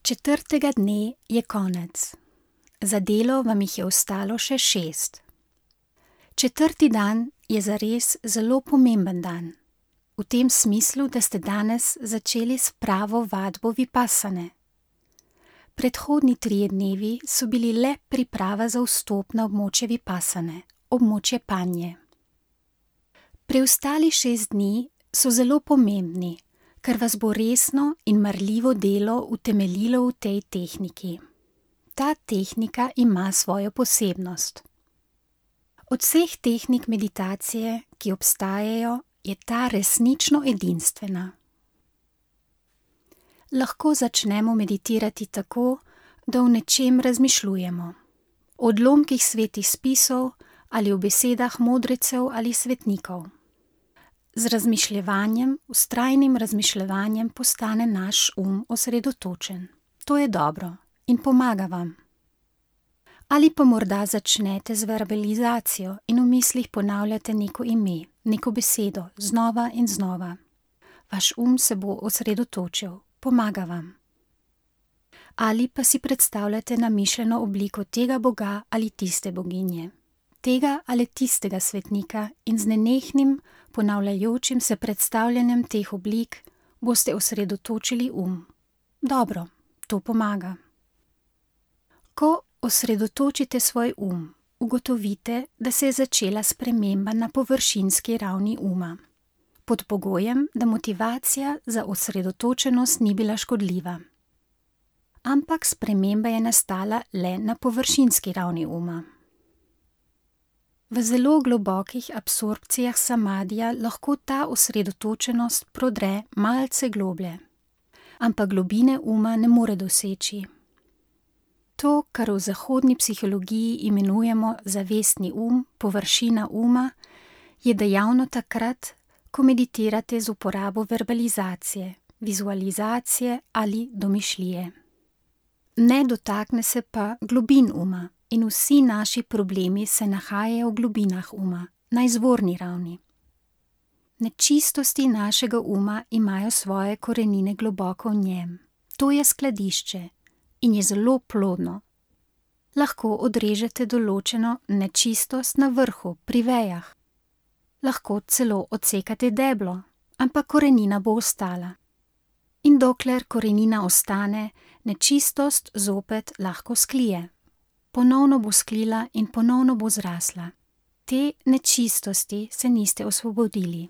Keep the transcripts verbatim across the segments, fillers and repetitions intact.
Četrtega dne je konec. Za delo vam jih je ostalo še šest. Četrti dan je zares zelo pomemben dan. V tem smislu, da ste danes začeli s pravo vadbo vipassane. Predhodni trije dnevi so bili le priprava za vstop na območje vipassane, območje panje. Preostali šest dni so zelo pomembni, ker vas bo resno in marljivo delo utemeljilo v tej tehniki. Ta tehnika ima svojo posebnost. Od vseh tehnik meditacije, ki obstajajo, je ta resnično edinstvena. Lahko začnemo meditirati tako, da o nečem razmišljujemo. O odlomkih svetih spisov ali o besedah modrecev ali svetnikov. Z razmišljevanjem, vztrajnim razmišljevanjem postane naš um osredotočen. To je dobro in pomaga vam. Ali pa morda začnete z verbalizacijo in v mislih ponavljate neko ime, neko besedo, znova in znova. Vaš um se bo osredotočil, pomaga vam. Ali pa si predstavljate namišljeno obliko tega boga ali tiste boginje, tega ali tistega svetnika in z nenehnim, ponavljajočim se predstavljanjem teh oblik boste osredotočili um. Dobro, to pomaga. Ko osredotočite svoj um, ugotovite, da se je začela sprememba na površinski ravni uma. Pod pogojem, da motivacija za osredotočenost ni bila škodljiva. Ampak sprememba je nastala le na površinski ravni uma. V zelo globokih absorpcijah samadija lahko ta osredotočenost prodre malce globlje, ampak globine uma ne more doseči. To, kar v zahodni psihologiji imenujemo zavestni um, površina uma, je dejavno takrat, ko meditirate z uporabo verbalizacije, vizualizacije ali domišljije. Ne dotakne se pa globin uma in vsi naši problemi se nahajajo v globinah uma, na izvorni ravni. Nečistosti našega uma imajo svoje korenine globoko v njem. To je skladišče in je zelo plodno. Lahko odrežete določeno nečistost na vrhu, pri vejah. Lahko celo odsekate deblo, ampak korenina bo ostala. In dokler korenina ostane, nečistost zopet lahko sklije. Ponovno bo sklila in ponovno bo zrasla. Te nečistosti se niste osvobodili.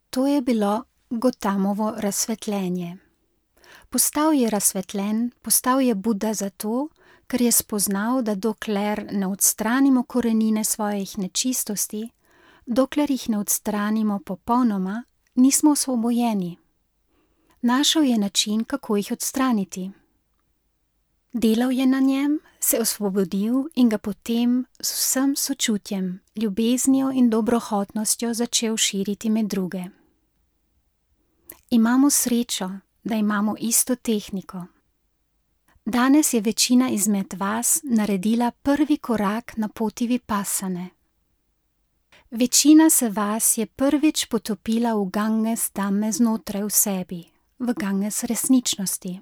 To je bilo Gotamovo razsvetljenje. Postal je razsvetljen, postal je Buda zato, ker je spoznal, da dokler ne odstranimo korenine svojih nečistosti, dokler jih ne odstranimo popolnoma, nismo osvobojeni. Našel je način, kako jih odstraniti. Delal je na njem, se osvobodil in ga potem z vsem sočutjem, ljubeznijo in dobrohotnostjo začel širiti med druge. Imamo srečo, da imamo isto tehniko. Danes je večina izmed vas naredila prvi korak na poti vipassane. Večina se vas je prvič potopila v Ganges Dhamme znotraj v sebi, v Ganges resničnosti.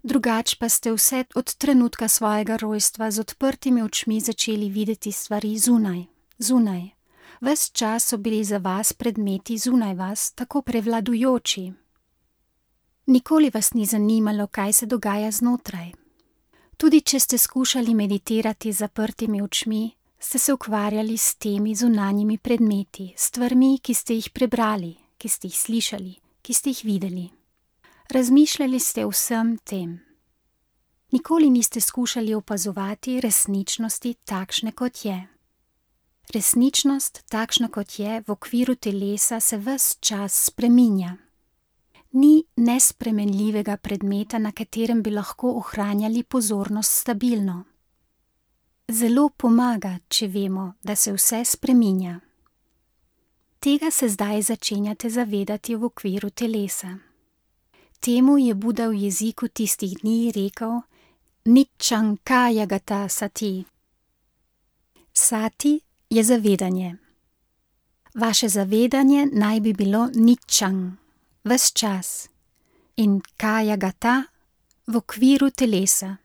Drugač pa ste vse od trenutka svojega rojstva z odprtimi očmi začeli videti stvari zunaj, zunaj. Ves čas so bili za vas predmeti zunaj vas tako prevladujoči. Nikoli vas ni zanimalo, kaj se dogaja znotraj. Tudi če ste skušali meditirati z zaprtimi očmi, ste se ukvarjali s temi zunanjimi predmeti, stvarmi, ki ste jih prebrali, ki ste jih slišali, ki ste jih videli. Razmišljali ste o vsem tem. Nikoli niste skušali opazovati resničnosti takšne, kot je. Resničnost, takšna kot je, v okviru telesa se ves čas spreminja. Ni nespremenljivega predmeta, na katerem bi lahko ohranjali pozornost stabilno. Zelo pomaga, če vemo, da se vse spreminja. Tega se zdaj začenjate zavedati v okviru telesa. Temu je Buda v jeziku tistih dni rekel Niccangkayagata sati. Sati je zavedanje. Vaše zavedanje naj bi bilo niccang, ves čas. in kaja gata v okviru telesa.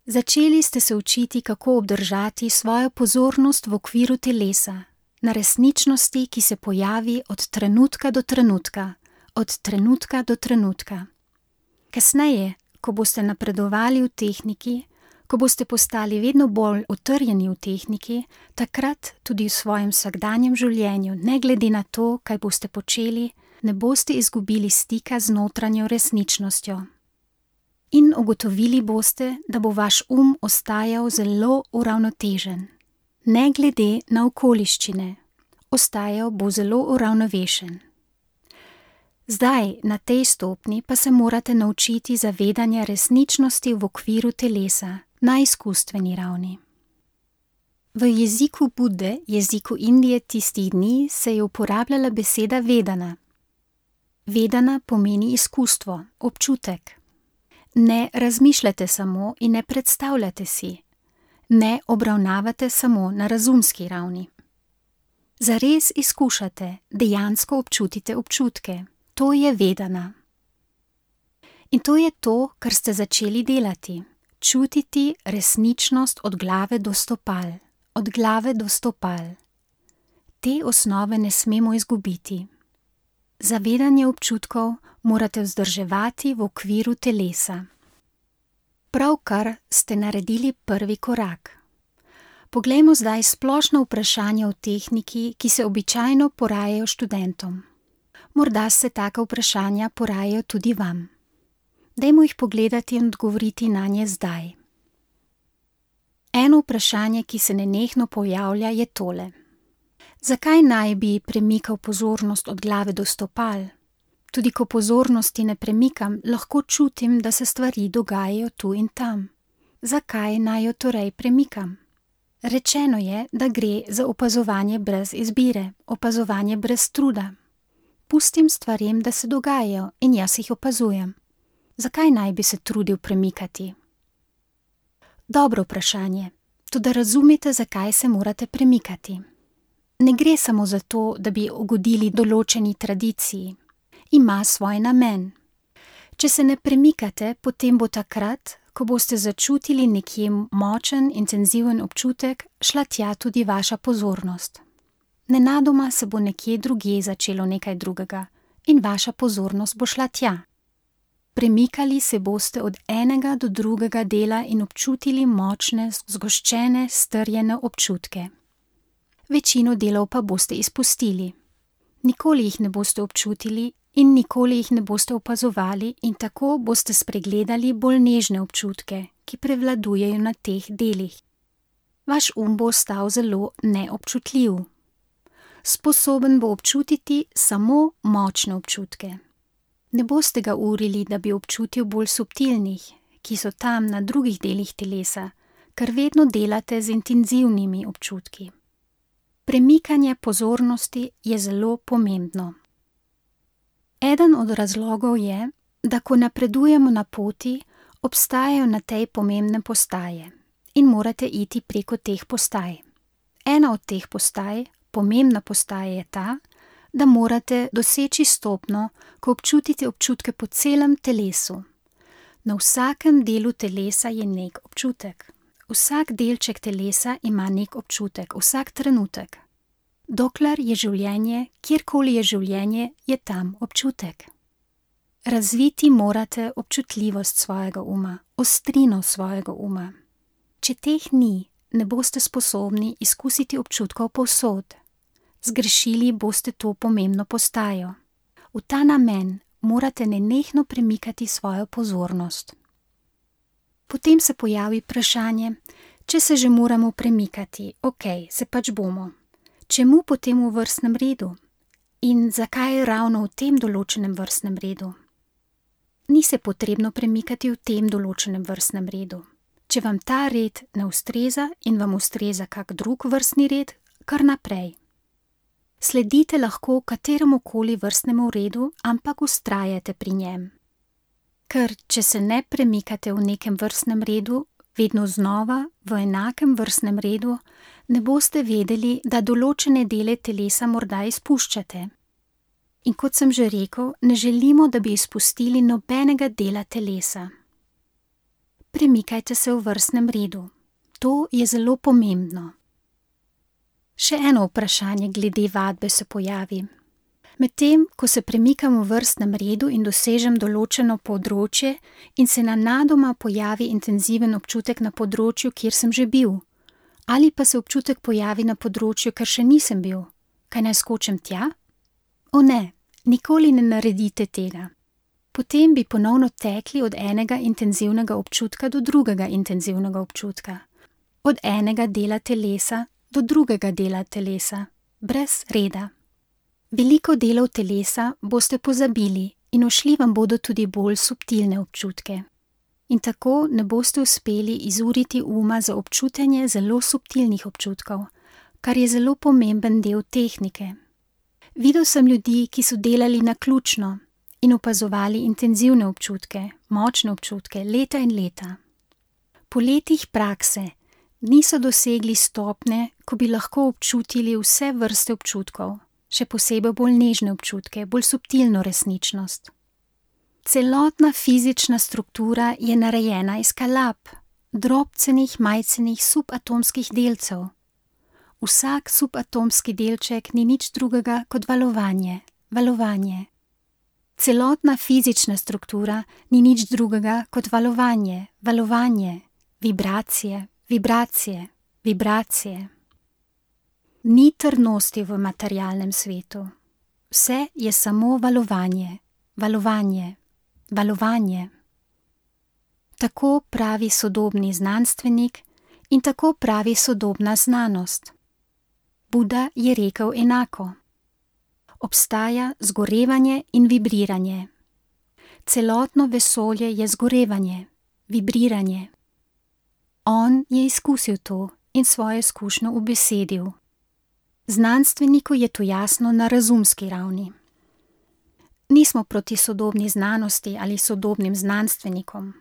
Začeli ste se učiti, kako obdržati svojo pozornost v okviru telesa, na resničnosti, ki se pojavi od trenutka do trenutka, od trenutka do trenutka. Kasneje, ko boste napredovali v tehniki, ko boste postali vedno bolj utrjeni v tehniki, takrat tudi v svojem vsakdanjem življenju, ne glede na to, kaj boste počeli, ne boste izgubili stika z notranjo resničnostjo. In ugotovili boste, da bo vaš um ostajal zelo uravnotežen. Ne glede na okoliščine, ostajal bo zelo uravnovešen. Zdaj, na tej stopni, pa se morate naučiti zavedanja resničnosti v okviru telesa, na izkustveni ravni. V jeziku Bude, jeziku Indije tistih dni, se je uporabljala beseda vedana. Vedana pomeni izkustvo, občutek. Ne razmišljate samo in ne predstavljate si. Ne obravnavate samo na razumski ravni. Zares izkušate, dejansko občutite občutke. To je vedana. In to je to, kar ste začeli delati. Čutiti resničnost od glave do stopal. Od glave do stopal. Te osnove ne smemo izgubiti. Zavedanje občutkov morate vzdrževati v okviru telesa. Pravkar ste naredili prvi korak. Poglejmo zdaj splošna vprašanja o tehniki, ki se običajno porajajo študentom. Morda se taka vprašanja porajajo tudi vam. Dajmo jih pogledati in odgovoriti nanje zdaj. Eno vprašanje, ki se nenehno pojavlja, je tole. Zakaj naj bi premikal pozornost od glave do stopal? Tudi ko pozornosti ne premikam, lahko čutim, da se stvari dogajajo tu in tam. Zakaj naj jo torej premikam? Rečeno je, da gre za opazovanje brez izbire, opazovanje brez truda. Pustim stvarem, da se dogajajo in jaz jih opazujem. Zakaj naj bi se trudil premikati? Dobro vprašanje, toda razumete, zakaj se morate premikati. Ne gre samo za to, da bi ugodili določeni tradiciji. Ima svoj namen. Če se ne premikate, potem bo takrat, ko boste začutili nekje močen, intenziven občutek, šla tja tudi vaša pozornost. Nenadoma se bo nekje drugje začelo nekaj drugega in vaša pozornost bo šla tja. Premikali se boste od enega do drugega dela in občutili močne, zgoščene, strjene občutke. Večino delov pa boste izpustili. Nikoli jih ne boste občutili in nikoli jih ne boste opazovali in tako boste spregledali bolj nežne občutke, ki prevladujejo na teh delih. Vaš um bo ostal zelo neobčutljiv. Sposoben bo občutiti samo močne občutke. Ne boste ga urili, da bi občutil bolj subtilnih, ki so tam na drugih delih telesa, ker vedno delate z intenzivnimi občutki. Premikanje pozornosti je zelo pomembno. Eden od razlogov je, da ko napredujemo na poti, obstajajo na tej pomembne postaje in morate iti preko teh postaj. Ena od teh postaj, pomembna postaja je ta, da morate doseči stopnjo, ko občutite občutke po celem telesu. Na vsakem delu telesa je nek občutek. Vsak delček telesa ima nek občutek, vsak trenutek. Dokler je življenje, kjerkoli je življenje, je tam občutek. Razviti morate občutljivost svojega uma, ostrino svojega uma. Če teh ni, ne boste sposobni izkusiti občutkov povsod. Zgrešili boste to pomembno postajo. V ta namen morate nenehno premikati svojo pozornost. Potem se pojavi vprašanje, če se že moramo premikati, okej, se pač bomo. Čemu potem v vrstnem redu? In zakaj ravno v tem določenem vrstnem redu? Ni se potrebno premikati v tem določenem vrstnem redu. Če vam ta red ne ustreza in vam ustreza kak drug vrstni red, kar naprej. Sledite lahko kateremukoli vrstnemu redu, ampak vztrajate pri njem. Ker če se ne premikate v nekem vrstnem redu, vedno znova v enakem vrstnem redu, ne boste vedeli, da določene dele telesa morda izpuščate. In kot sem že rekel, ne želimo, da bi izpustili nobenega dela telesa. Premikajte se v vrstnem redu. To je zelo pomembno. Še eno vprašanje glede vadbe se pojavi. Medtem, ko se premikam v vrstnem redu in dosežem določeno področje in se nenadoma pojavi intenziven občutek na področju, kjer sem že bil, ali pa se občutek pojavi na področju, ker še nisem bil, kaj naj skočim tja? O ne, nikoli ne naredite tega. Potem bi ponovno tekli od enega intenzivnega občutka do drugega intenzivnega občutka, od enega dela telesa do drugega dela telesa, brez reda. Veliko delov telesa boste pozabili in ušli vam bodo tudi bolj subtilne občutke. In tako ne boste uspeli izuriti uma za občutenje zelo subtilnih občutkov, kar je zelo pomemben del tehnike. Videl sem ljudi, ki so delali naključno in opazovali intenzivne občutke, močne občutke, leta in leta. Po letih prakse niso dosegli stopnje, ko bi lahko občutili vse vrste občutkov, še posebej bolj nežne občutke, bolj subtilno resničnost. Celotna fizična struktura je narejena iz kalap, drobcenih, majcenih subatomskih delcev. Vsak subatomski delček ni nič drugega kot valovanje, valovanje. Celotna fizična struktura ni nič drugega kot valovanje, valovanje, vibracije, vibracije, vibracije. Ni trdnosti v materialnem svetu. Vse je samo valovanje, valovanje, valovanje. Tako pravi sodobni znanstvenik in tako pravi sodobna znanost. Buda je rekel enako. Obstaja zgorevanje in vibriranje. Celotno vesolje je zgorevanje, vibriranje. On je izkusil to in svojo izkušnjo ubesedil. Znanstveniku je to jasno na razumski ravni. Nismo proti sodobni znanosti ali sodobnim znanstvenikom.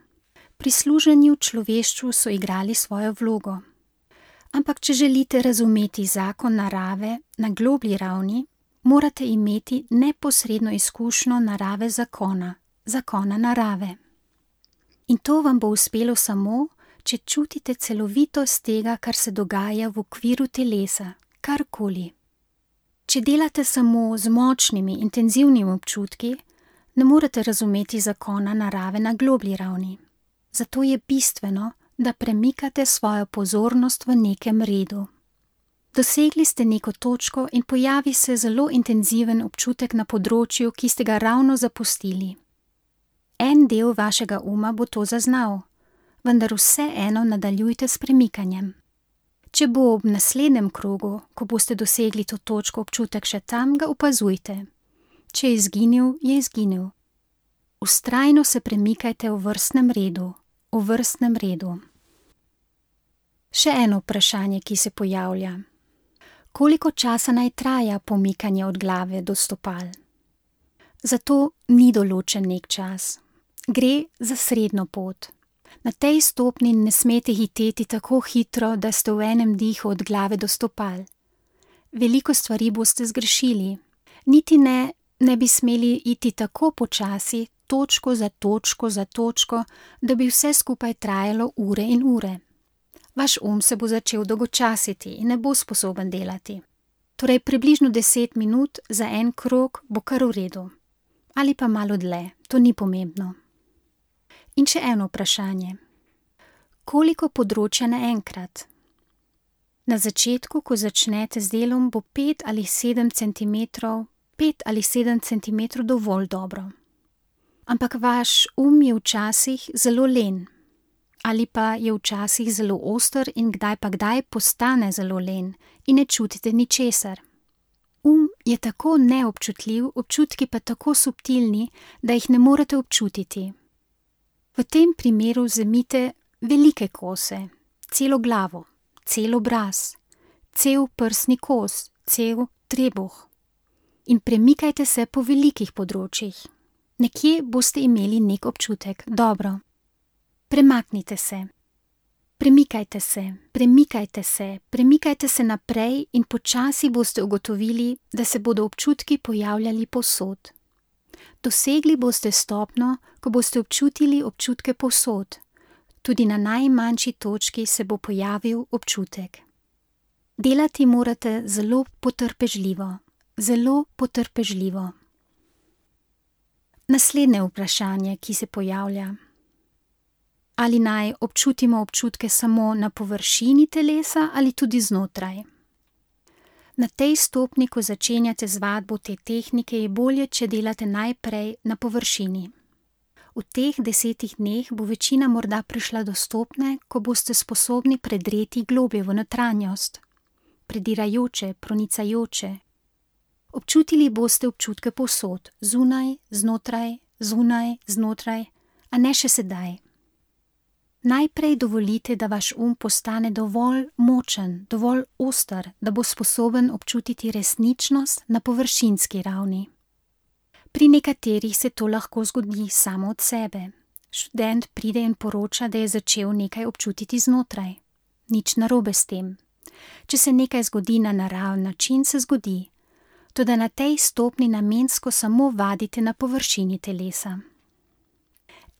Pri služenju človeštvu so igrali svojo vlogo. Ampak če želite razumeti zakon narave na globlji ravni, morate imeti neposredno izkušnjo narave zakona, zakona narave. In to vam bo uspelo samo, če čutite celovitost tega, kar se dogaja v okviru telesa, karkoli. Če delate samo z močnimi, intenzivnimi občutki, ne morete razumeti zakona narave na globlji ravni. Zato je bistveno, da premikate svojo pozornost v nekem redu. Dosegli ste neko točko in pojavi se zelo intenziven občutek na področju, ki ste ga ravno zapustili. En del vašega uma bo to zaznal, vendar vseeno nadaljujte s premikanjem. Če bo ob naslednjem krogu, ko boste dosegli to točko, občutek še tam, ga opazujte. Če je izginil, je izginil. Vztrajno se premikajte v vrstnem redu, v vrstnem redu. Še eno vprašanje, ki se pojavlja. Koliko časa naj traja pomikanje od glave do stopal? Zato ni določen nek čas. Gre za srednjo pot. Na tej stopni ne smete hiteti tako hitro, da ste v enem dihu od glave do stopal. Veliko stvari boste zgrešili. Niti ne, ne bi smeli iti tako počasi, točko za točko za točko, da bi vse skupaj trajalo ure in ure. Vaš um se bo začel dolgočasiti in ne bo sposoben delati. Torej približno deset minut za en krog bo kar v redu. Ali pa malo dlje, to ni pomembno. In še eno vprašanje. Koliko področja naenkrat? Na začetku, ko začnete z delom, bo pet ali sedem centimetrov, pet ali sedem centimetrov dovolj dobro. Ampak vaš um je včasih zelo len. Ali pa je včasih zelo oster in kdaj pa kdaj postane zelo len in ne čutite ničesar. Um je tako neobčutljiv, občutki pa tako subtilni, da jih ne morete občutiti. V tem primeru vzemite velike kose, celo glavo, cel obraz, cel prsni kos, cel trebuh in premikajte se po velikih področjih. Nekje boste imeli nek občutek, dobro. Premaknite se. Premikajte se, premikajte se, premikajte se naprej in počasi boste ugotovili, da se bodo občutki pojavljali povsod. Dosegli boste stopnjo, ko boste občutili občutke povsod. Tudi na najmanjši točki se bo pojavil občutek. Delati morate zelo potrpežljivo, zelo potrpežljivo. Naslednje vprašanje, ki se pojavlja. Ali naj občutimo občutke samo na površini telesa ali tudi znotraj? Na tej stopni, ko začenjate z vadbo te tehnike, je bolje, če delate najprej na površini. V teh desetih dneh bo večina morda prišla do stopne, ko boste sposobni predreti globlje v notranjost, predirajoče, pronicajoče. Občutili boste občutke povsod, zunaj, znotraj, zunaj, znotraj, a ne še sedaj. Najprej dovolite, da vaš um postane dovolj močen, dovolj oster, da bo sposoben občutiti resničnost na površinski ravni. Pri nekaterih se to lahko zgodi samo od sebe. Študent pride in poroča, da je začel nekaj občutiti znotraj. Nič narobe s tem. Če se nekaj zgodi na naraven način, se zgodi. Toda na tej stopni namensko samo vadite na površini telesa.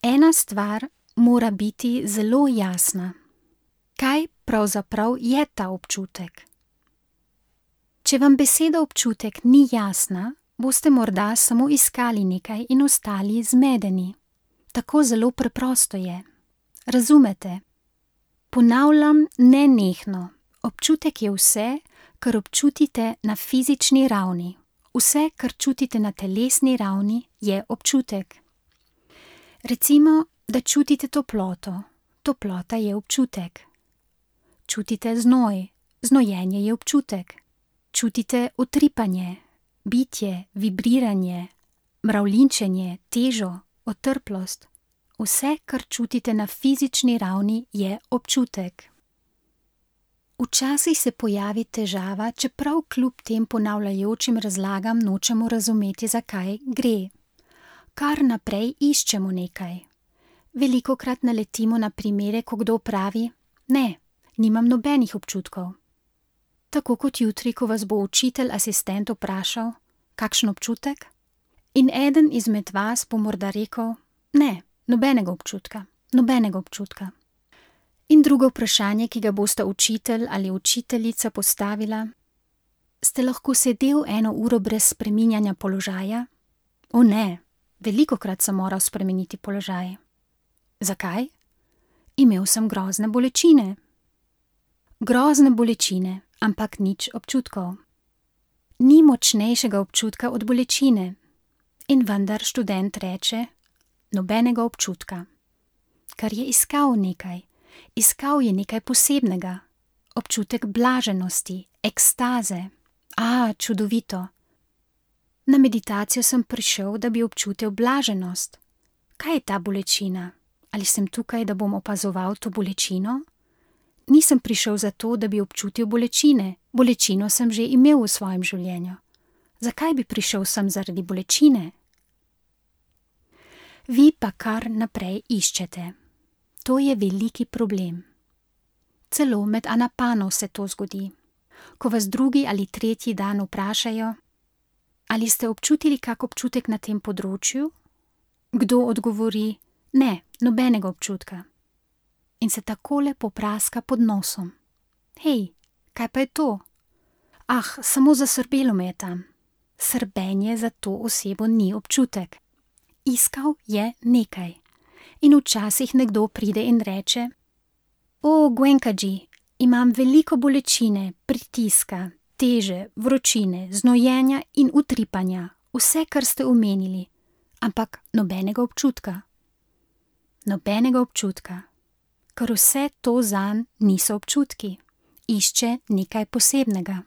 Ena stvar mora biti zelo jasna. Kaj pravzaprav je ta občutek? Če vam beseda občutek ni jasna, boste morda samo iskali nekaj in ostali zmedeni. Tako zelo preprosto je. Razumete? Ponavljam nenehno. Občutek je vse, kar občutite na fizični ravni. Vse, kar čutite na telesni ravni, je občutek. Recimo, da čutite toploto. Toplota je občutek. Čutite znoj. Znojenje je občutek. Čutite utripanje, bitje, vibriranje, mravljinčenje, težo, otrplost. Vse, kar čutite na fizični ravni, je občutek. Včasih se pojavi težava, čeprav kljub tem ponavljajočim razlagam nočemo razumeti, zakaj gre. Kar naprej iščemo nekaj. Velikokrat naletimo na primere, ko kdo pravi: ne, nimam nobenih občutkov. Tako kot jutri, ko vas bo učitelj asistent vprašal, kakšen občutek? In eden izmed vas bo morda rekel: ne, nobenega občutka, nobenega občutka. In drugo vprašanje, ki ga bosta učitelj ali učiteljica postavila: ste lahko sedel eno uro brez spreminjanja položaja? O ne, velikokrat sem moral spremeniti položaj. Zakaj? Imel sem grozne bolečine. Grozne bolečine, ampak nič občutkov. Ni močnejšega občutka od bolečine. In vendar študent reče: nobenega občutka. Ker je iskal nekaj. Iskal je nekaj posebnega. Občutek blaženosti, ekstaze. A, čudovito. Na meditacijo sem prišel, da bi občutil blaženost. Kaj je ta bolečina? Ali sem tukaj, da bom opazoval to bolečino? Nisem prišel zato, da bi občutil bolečine. Bolečino sem že imel v svojem življenju. Zakaj bi prišel sem zaradi bolečine? Vi pa kar naprej iščete. To je veliki problem. Celo med anapano se to zgodi. Ko vas drugi ali tretji dan vprašajo: ali ste občutili kak občutek na tem področju? Kdo odgovori: ne, nobenega občutka. In se takole popraska pod nosom. Hej, kaj pa je to? Ah, samo zasrbelo me je tam. Srbenje za to osebo ni občutek. Iskal je nekaj. In včasih nekdo pride in reče: o, Goenkaji, imam veliko bolečine, pritiska, teže, vročine, znojenja in utripanja, vse, kar ste omenili, ampak nobenega občutka. Nobenega občutka, ker vse to zanj niso občutki, išče nekaj posebnega.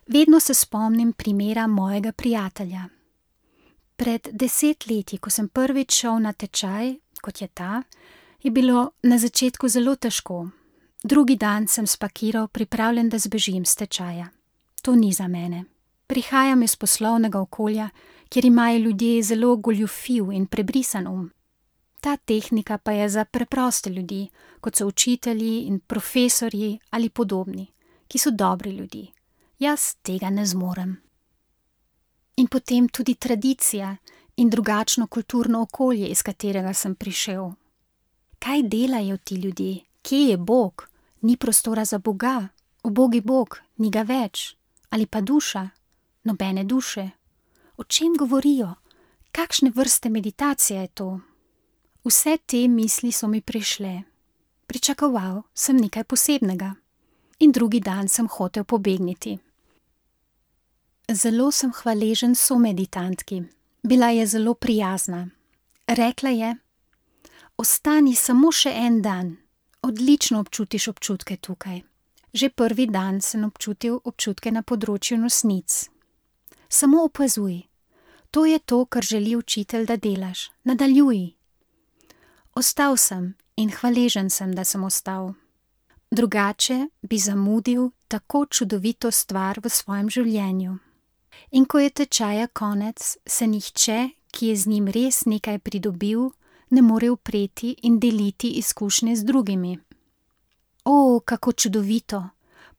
Vedno se spomnim primera mojega prijatelja. Pred deset leti, ko sem prvič šel na tečaj, kot je ta, je bilo na začetku zelo težko. Drugi dan sem spakiral, pripravljen, da zbežim s tečaja. To ni za mene. Prihajam iz poslovnega okolja, kjer imajo ljudje zelo goljufiv in prebrisan um. Ta tehnika pa je za preproste ljudi, kot so učitelji in profesorji ali podobni, ki so dobri ljudje. Jaz tega ne zmorem. In potem tudi tradicija in drugačno kulturno okolje, iz katerega sem prišel. Kaj delajo ti ljudje? Kje je Bog? Ni prostora za Boga. Ubogi Bog, ni ga več. Ali pa duša? Nobene duše. O čem govorijo? Kakšne vrste meditacije je to? Vse te misli so mi prišle. Pričakoval sem nekaj posebnega. In drugi dan sem hotel pobegniti. Zelo sem hvaležen someditantki. Bila je zelo prijazna. Rekla je: ostani samo še en dan. Odlično občutiš občutke tukaj. Že prvi dan sem občutil občutke na področju nosnic. Samo opazuj. To je to, kar želi učitelj, da delaš. Nadaljuj. Ostal sem in hvaležen sem, da sem ostal. Drugače bi zamudil tako čudovito stvar v svojem življenju. In ko je tečaja konec, se nihče, ki je z njim res nekaj pridobil, ne more upreti in deliti izkušnje z drugimi. O, kako čudovito!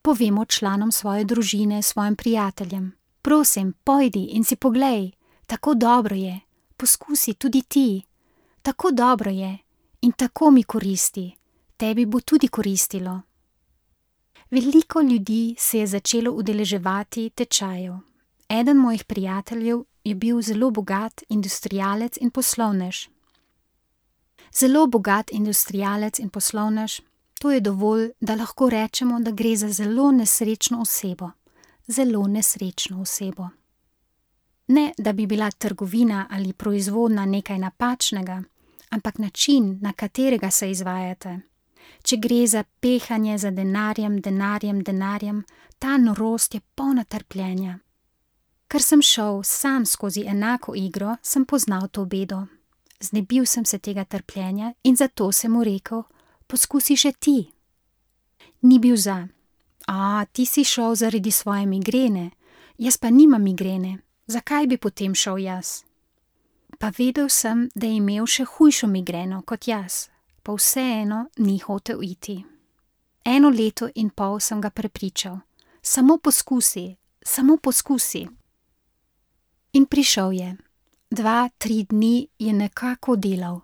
Povemo članom svoje družine, svojim prijateljem. Prosim, pojdi in si poglej. Tako dobro je. Poskusi tudi ti. Tako dobro je. In tako mi koristi. Tebi bo tudi koristilo. Veliko ljudi se je začelo udeleževati tečajev. Eden mojih prijateljev je bil zelo bogat industrialec in poslovnež. Zelo bogat industrialec in poslovnež, to je dovolj, da lahko rečemo, da gre za zelo nesrečno osebo. Zelo nesrečno osebo. Ne, da bi bila trgovina ali proizvodnja nekaj napačnega, ampak način, na katerega se izvajate. Če gre za pehanje za denarjem, denarjem, denarjem, ta norost je polna trpljenja. Ker sem šel sam skozi enako igro, sem poznal to bedo. Znebil sem se tega trpljenja in zato sem mu rekel: poskusi še ti. Ni bil za. A, ti si šel zaradi svoje migrene, jaz pa nimam migrene, zakaj bi potem šel jaz? Pa vedel sem, da je imel še hujšo migreno kot jaz, pa vseeno ni hotel iti. Eno leto in pol sem ga prepričal: samo poskusi, samo poskusi. In prišel je. Dva, tri dni je nekako delal.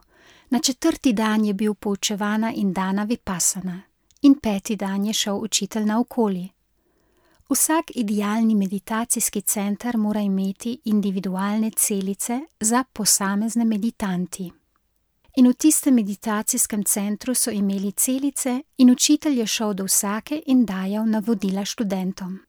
Na četrti dan je bil poučevana in dana vipassana. In peti dan je šel učitelj naokoli. Vsak idealni meditacijski center mora imeti individualne celice za posamezne meditanti. In v tistem meditacijskem centru so imeli celice in učitelj je šel do vsake in dajal navodila študentom.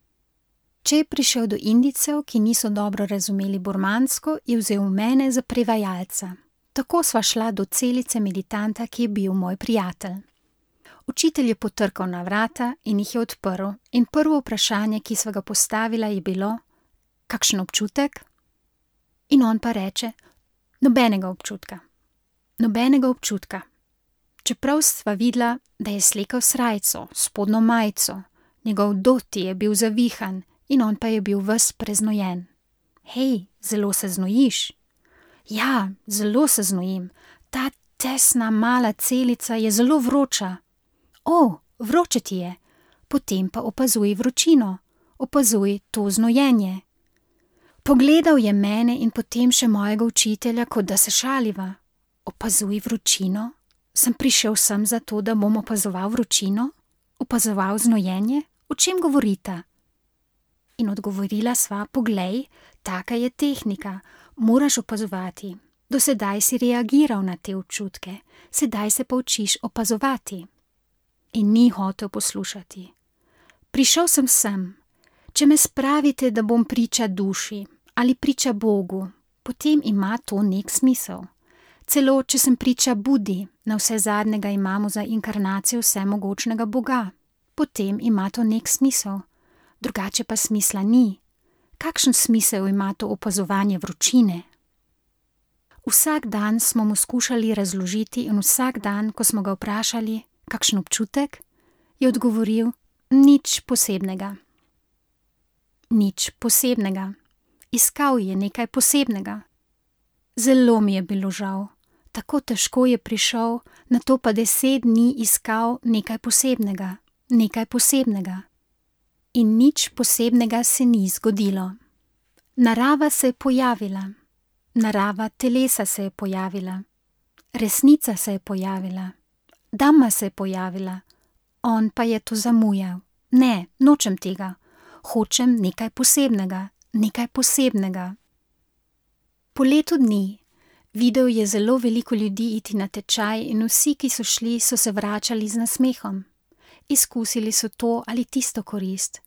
Če je prišel do Indijcev, ki niso dobro razumeli burmansko, je vzel mene za prevajalca. Tako sva šla do celice meditanta, ki je bil moj prijatelj. Učitelj je potrkal na vrata in jih je odprl in prvo vprašanje, ki sva ga postavila, je bilo: kakšen občutek? In on pa reče: nobenega občutka. Nobenega občutka. Čeprav sva videla, da je slekel srajco, spodnjo majico, njegov doti je bil zavihan in on pa je bil ves preznojen. Hej, zelo se znojiš? Ja, zelo se znojim. Ta tesna mala celica je zelo vroča. O, vroče ti je. Potem pa opazuj vročino. Opazuj to znojenje. Pogledal je mene in potem še mojega učitelja, kot da se šaliva. Opazuj vročino? Sem prišel sem zato, da bom opazoval vročino? Opazoval znojenje? O čem govorita? In odgovorila sva: poglej, taka je tehnika, moraš opazovati. Do sedaj si reagiral na te občutke, sedaj se pa učiš opazovati. In ni hotel poslušati. Prišel sem sem. Če me spravite, da bom priča duši ali priča Bogu, potem ima to nek smisel. Celo, če sem priča Budi, na vse zadnjega imamo za inkarnacijo vsemogočnega Boga, potem ima to nek smisel. Drugače pa smisla ni. Kakšen smisel ima to opazovanje vročine? Vsak dan smo mu skušali razložiti in vsak dan, ko smo ga vprašali, kakšen občutek, je odgovoril: nič posebnega. Nič posebnega. Iskal je nekaj posebnega. Zelo mi je bilo žal. Tako težko je prišel, nato pa deset dni iskal nekaj posebnega, nekaj posebnega. In nič posebnega se ni zgodilo. Narava se je pojavila, narava telesa se je pojavila, resnica se je pojavila, Dhamma se je pojavila, on pa je to zamujal. Ne, nočem tega, hočem nekaj posebnega, nekaj posebnega. Po letu dni, videl je zelo veliko ljudi iti na tečaj in vsi, ki so šli, so se vračali z nasmehom. Izkusili so to ali tisto korist.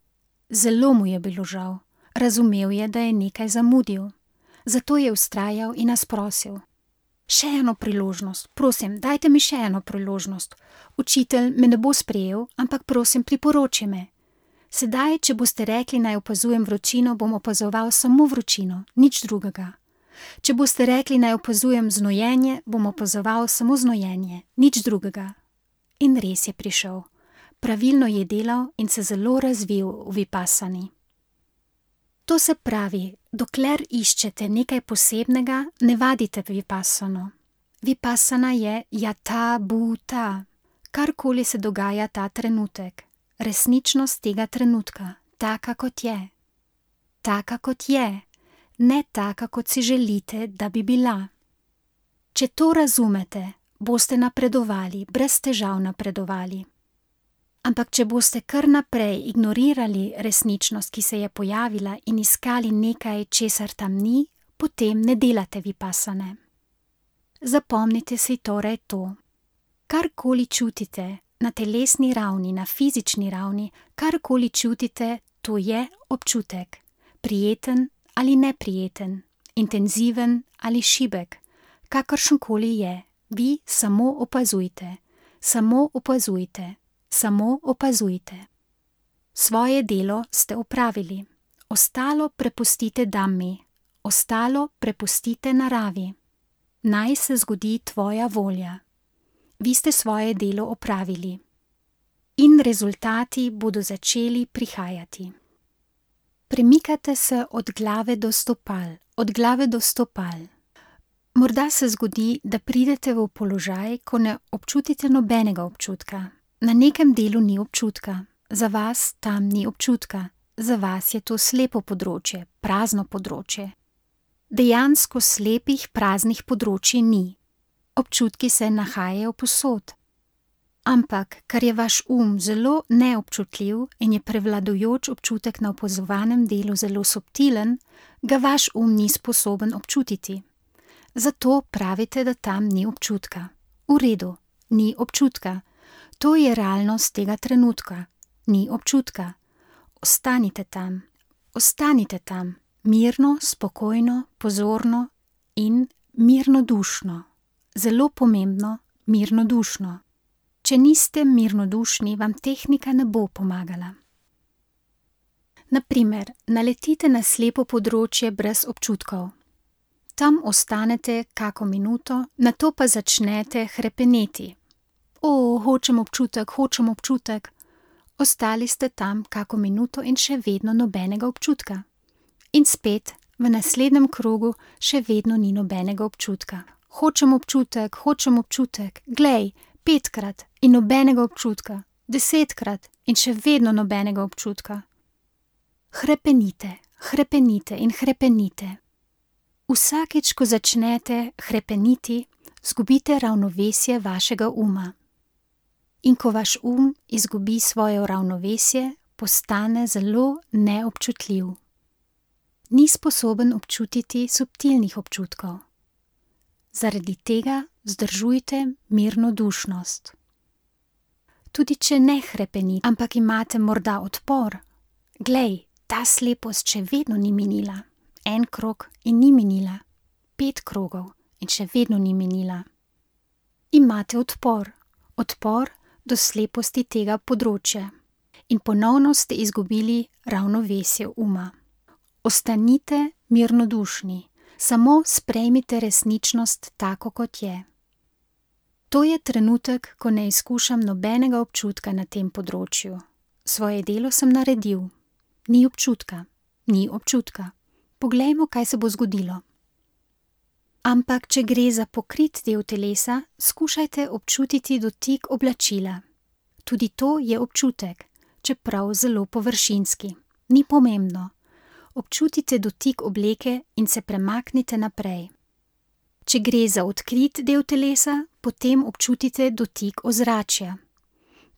Zelo mu je bilo žal. Razumel je, da je nekaj zamudil. Zato je vztrajal in nas prosil. Še eno priložnost, prosim, dajte mi še eno priložnost. Učitelj me ne bo sprejel, ampak prosim, priporoči me. Sedaj, če boste rekli, naj opazujem vročino, bom opazoval samo vročino, nič drugega. Če boste rekli, naj opazujem znojenje, bom opazoval samo znojenje, nič drugega. In res je prišel. Pravilno je delal in se zelo razvil v vipassani. To se pravi, dokler iščete nekaj posebnega, ne vadite vipassano. Vipassana je yatha bhuta, karkoli se dogaja ta trenutek, resničnost tega trenutka, taka kot je. Taka kot je, ne taka kot si želite, da bi bila. Če to razumete, boste napredovali, brez težav napredovali. Ampak če boste kar naprej ignorirali resničnost, ki se je pojavila in iskali nekaj, česar tam ni, potem ne delate vipassane. Zapomnite si torej to. Karkoli čutite na telesni ravni, na fizični ravni, karkoli čutite, to je občutek. Prijeten ali neprijeten, intenziven ali šibek, kakršenkoli je, vi samo opazujte, samo opazujte. Samo opazujte. Svoje delo ste opravili, ostalo prepustite Dhammi, ostalo prepustite naravi. Naj se zgodi tvoja volja. Vi ste svoje delo opravili. In rezultati bodo začeli prihajati. Premikate se od glave do stopal, od glave do stopal. Morda se zgodi, da pridete v položaj, ko ne občutite nobenega občutka. Na nekem delu ni občutka, za vas tam ni občutka, za vas je to slepo področje, prazno področje. Dejansko slepih, praznih področij ni. Občutki se nahajajo povsod. Ampak, ker je vaš um zelo neobčutljiv in je prevladujoč občutek na opazovanem delu zelo subtilen, ga vaš um ni sposoben občutiti. Zato pravite, da tam ni občutka. V redu, ni občutka. To je realnost tega trenutka. Ni občutka. Ostanite tam. Ostanite tam. Mirno, spokojno, pozorno in mirnodušno. Zelo pomembno, mirnodušno. Če niste mirnodušni, vam tehnika ne bo pomagala. Naprimer, naletite na slepo področje brez občutkov. Tam ostanete kako minuto, nato pa začnete hrepeneti. O, hočem občutek, hočem občutek. Ostali ste tam kako minuto in še vedno nobenega občutka. In spet, v naslednjem krogu še vedno ni nobenega občutka. Hočem občutek, hočem občutek, glej, petkrat in nobenega občutka, desetkrat in še vedno nobenega občutka. Hrepenite, hrepenite in hrepenite. Vsakič, ko začnete hrepeniti, zgubite ravnovesje vašega uma. In ko vaš um izgubi svoje ravnovesje, postane zelo neobčutljiv. Ni sposoben občutiti subtilnih občutkov. Zaradi tega vzdržujte mirnodušnost. Tudi če ne hrepenite, ampak imate morda odpor, glej, ta slepost še vedno ni minila. En krog in ni minila. Pet krogov in še vedno ni minila. Imate odpor, odpor do sleposti tega področja in ponovno ste izgubili ravnovesje uma. Ostanite mirnodušni, samo sprejmite resničnost tako, kot je. To je trenutek, ko ne izkušam nobenega občutka na tem področju. Svoje delo sem naredil. Ni občutka, ni občutka. Poglejmo, kaj se bo zgodilo. Ampak, če gre za pokrit del telesa, skušajte občutiti dotik oblačila. Tudi to je občutek, čeprav zelo površinski. Ni pomembno. Občutite dotik obleke in se premaknite naprej. Če gre za odkrit del telesa, potem občutite dotik ozračja.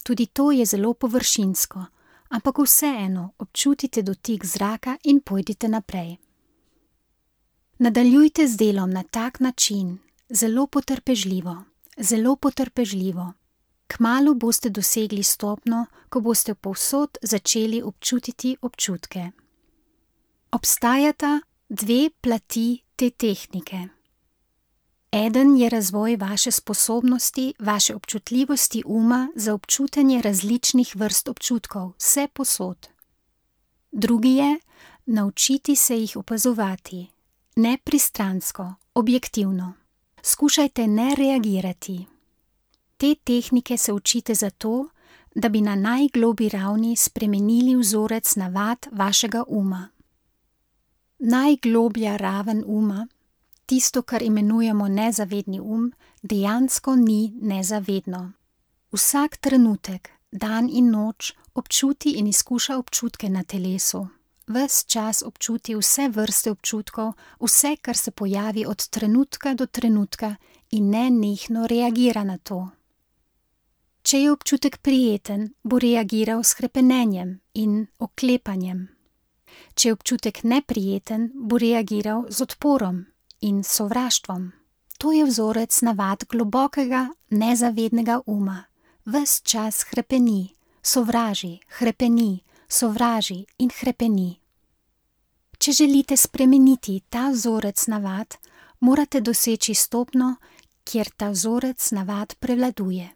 Tudi to je zelo površinsko, ampak vseeno občutite dotik zraka in pojdite naprej. Nadaljujte z delom na tak način, zelo potrpežljivo, zelo potrpežljivo. Kmalu boste dosegli stopnjo, ko boste povsod začeli občutiti občutke. Obstajata dve plati te tehnike. Eden je razvoj vaše sposobnosti, vaše občutljivosti uma za občutenje različnih vrst občutkov, vse posod. Drugi je naučiti se jih opazovati, nepristransko, objektivno. Skušajte ne reagirati. Te tehnike se učite zato, da bi na najgloblji ravni spremenili vzorec navad vašega uma. Najgloblja raven uma, tisto, kar imenujemo nezavedni um, dejansko ni nezavedno. Vsak trenutek, dan in noč, občuti in izkuša občutke na telesu. Ves čas občuti vse vrste občutkov, vse, kar se pojavi od trenutka do trenutka in nenehno reagira na to. Če je občutek prijeten, bo reagiral s hrepenenjem in oklepanjem. Če je občutek neprijeten, bo reagiral z odporom in sovraštvom. To je vzorec navad globokega, nezavednega uma. Ves čas hrepeni, sovraži, hrepeni, sovraži in hrepeni. Če želite spremeniti ta vzorec navad, morate doseči stopnjo, kjer ta vzorec navad prevladuje.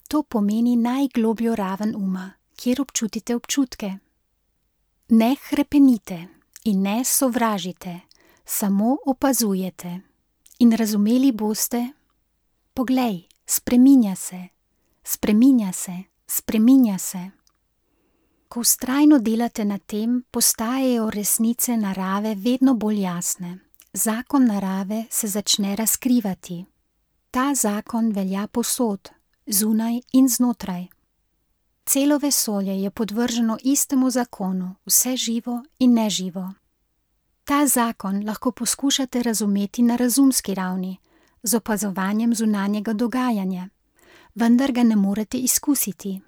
To pomeni najglobljo raven uma, kjer občutite občutke. Ne hrepenite in ne sovražite, samo opazujete. In razumeli boste, poglej, spreminja se, spreminja se, spreminja se. Ko vztrajno delate na tem, postajajo resnice narave vedno bolj jasne. Zakon narave se začne razkrivati. Ta zakon velja povsod, zunaj in znotraj. Celo vesolje je podvrženo istemu zakonu, vse živo in neživo. Ta zakon lahko poskušate razumeti na razumski ravni, z opazovanjem zunanjega dogajanja, vendar ga ne morete izkusiti.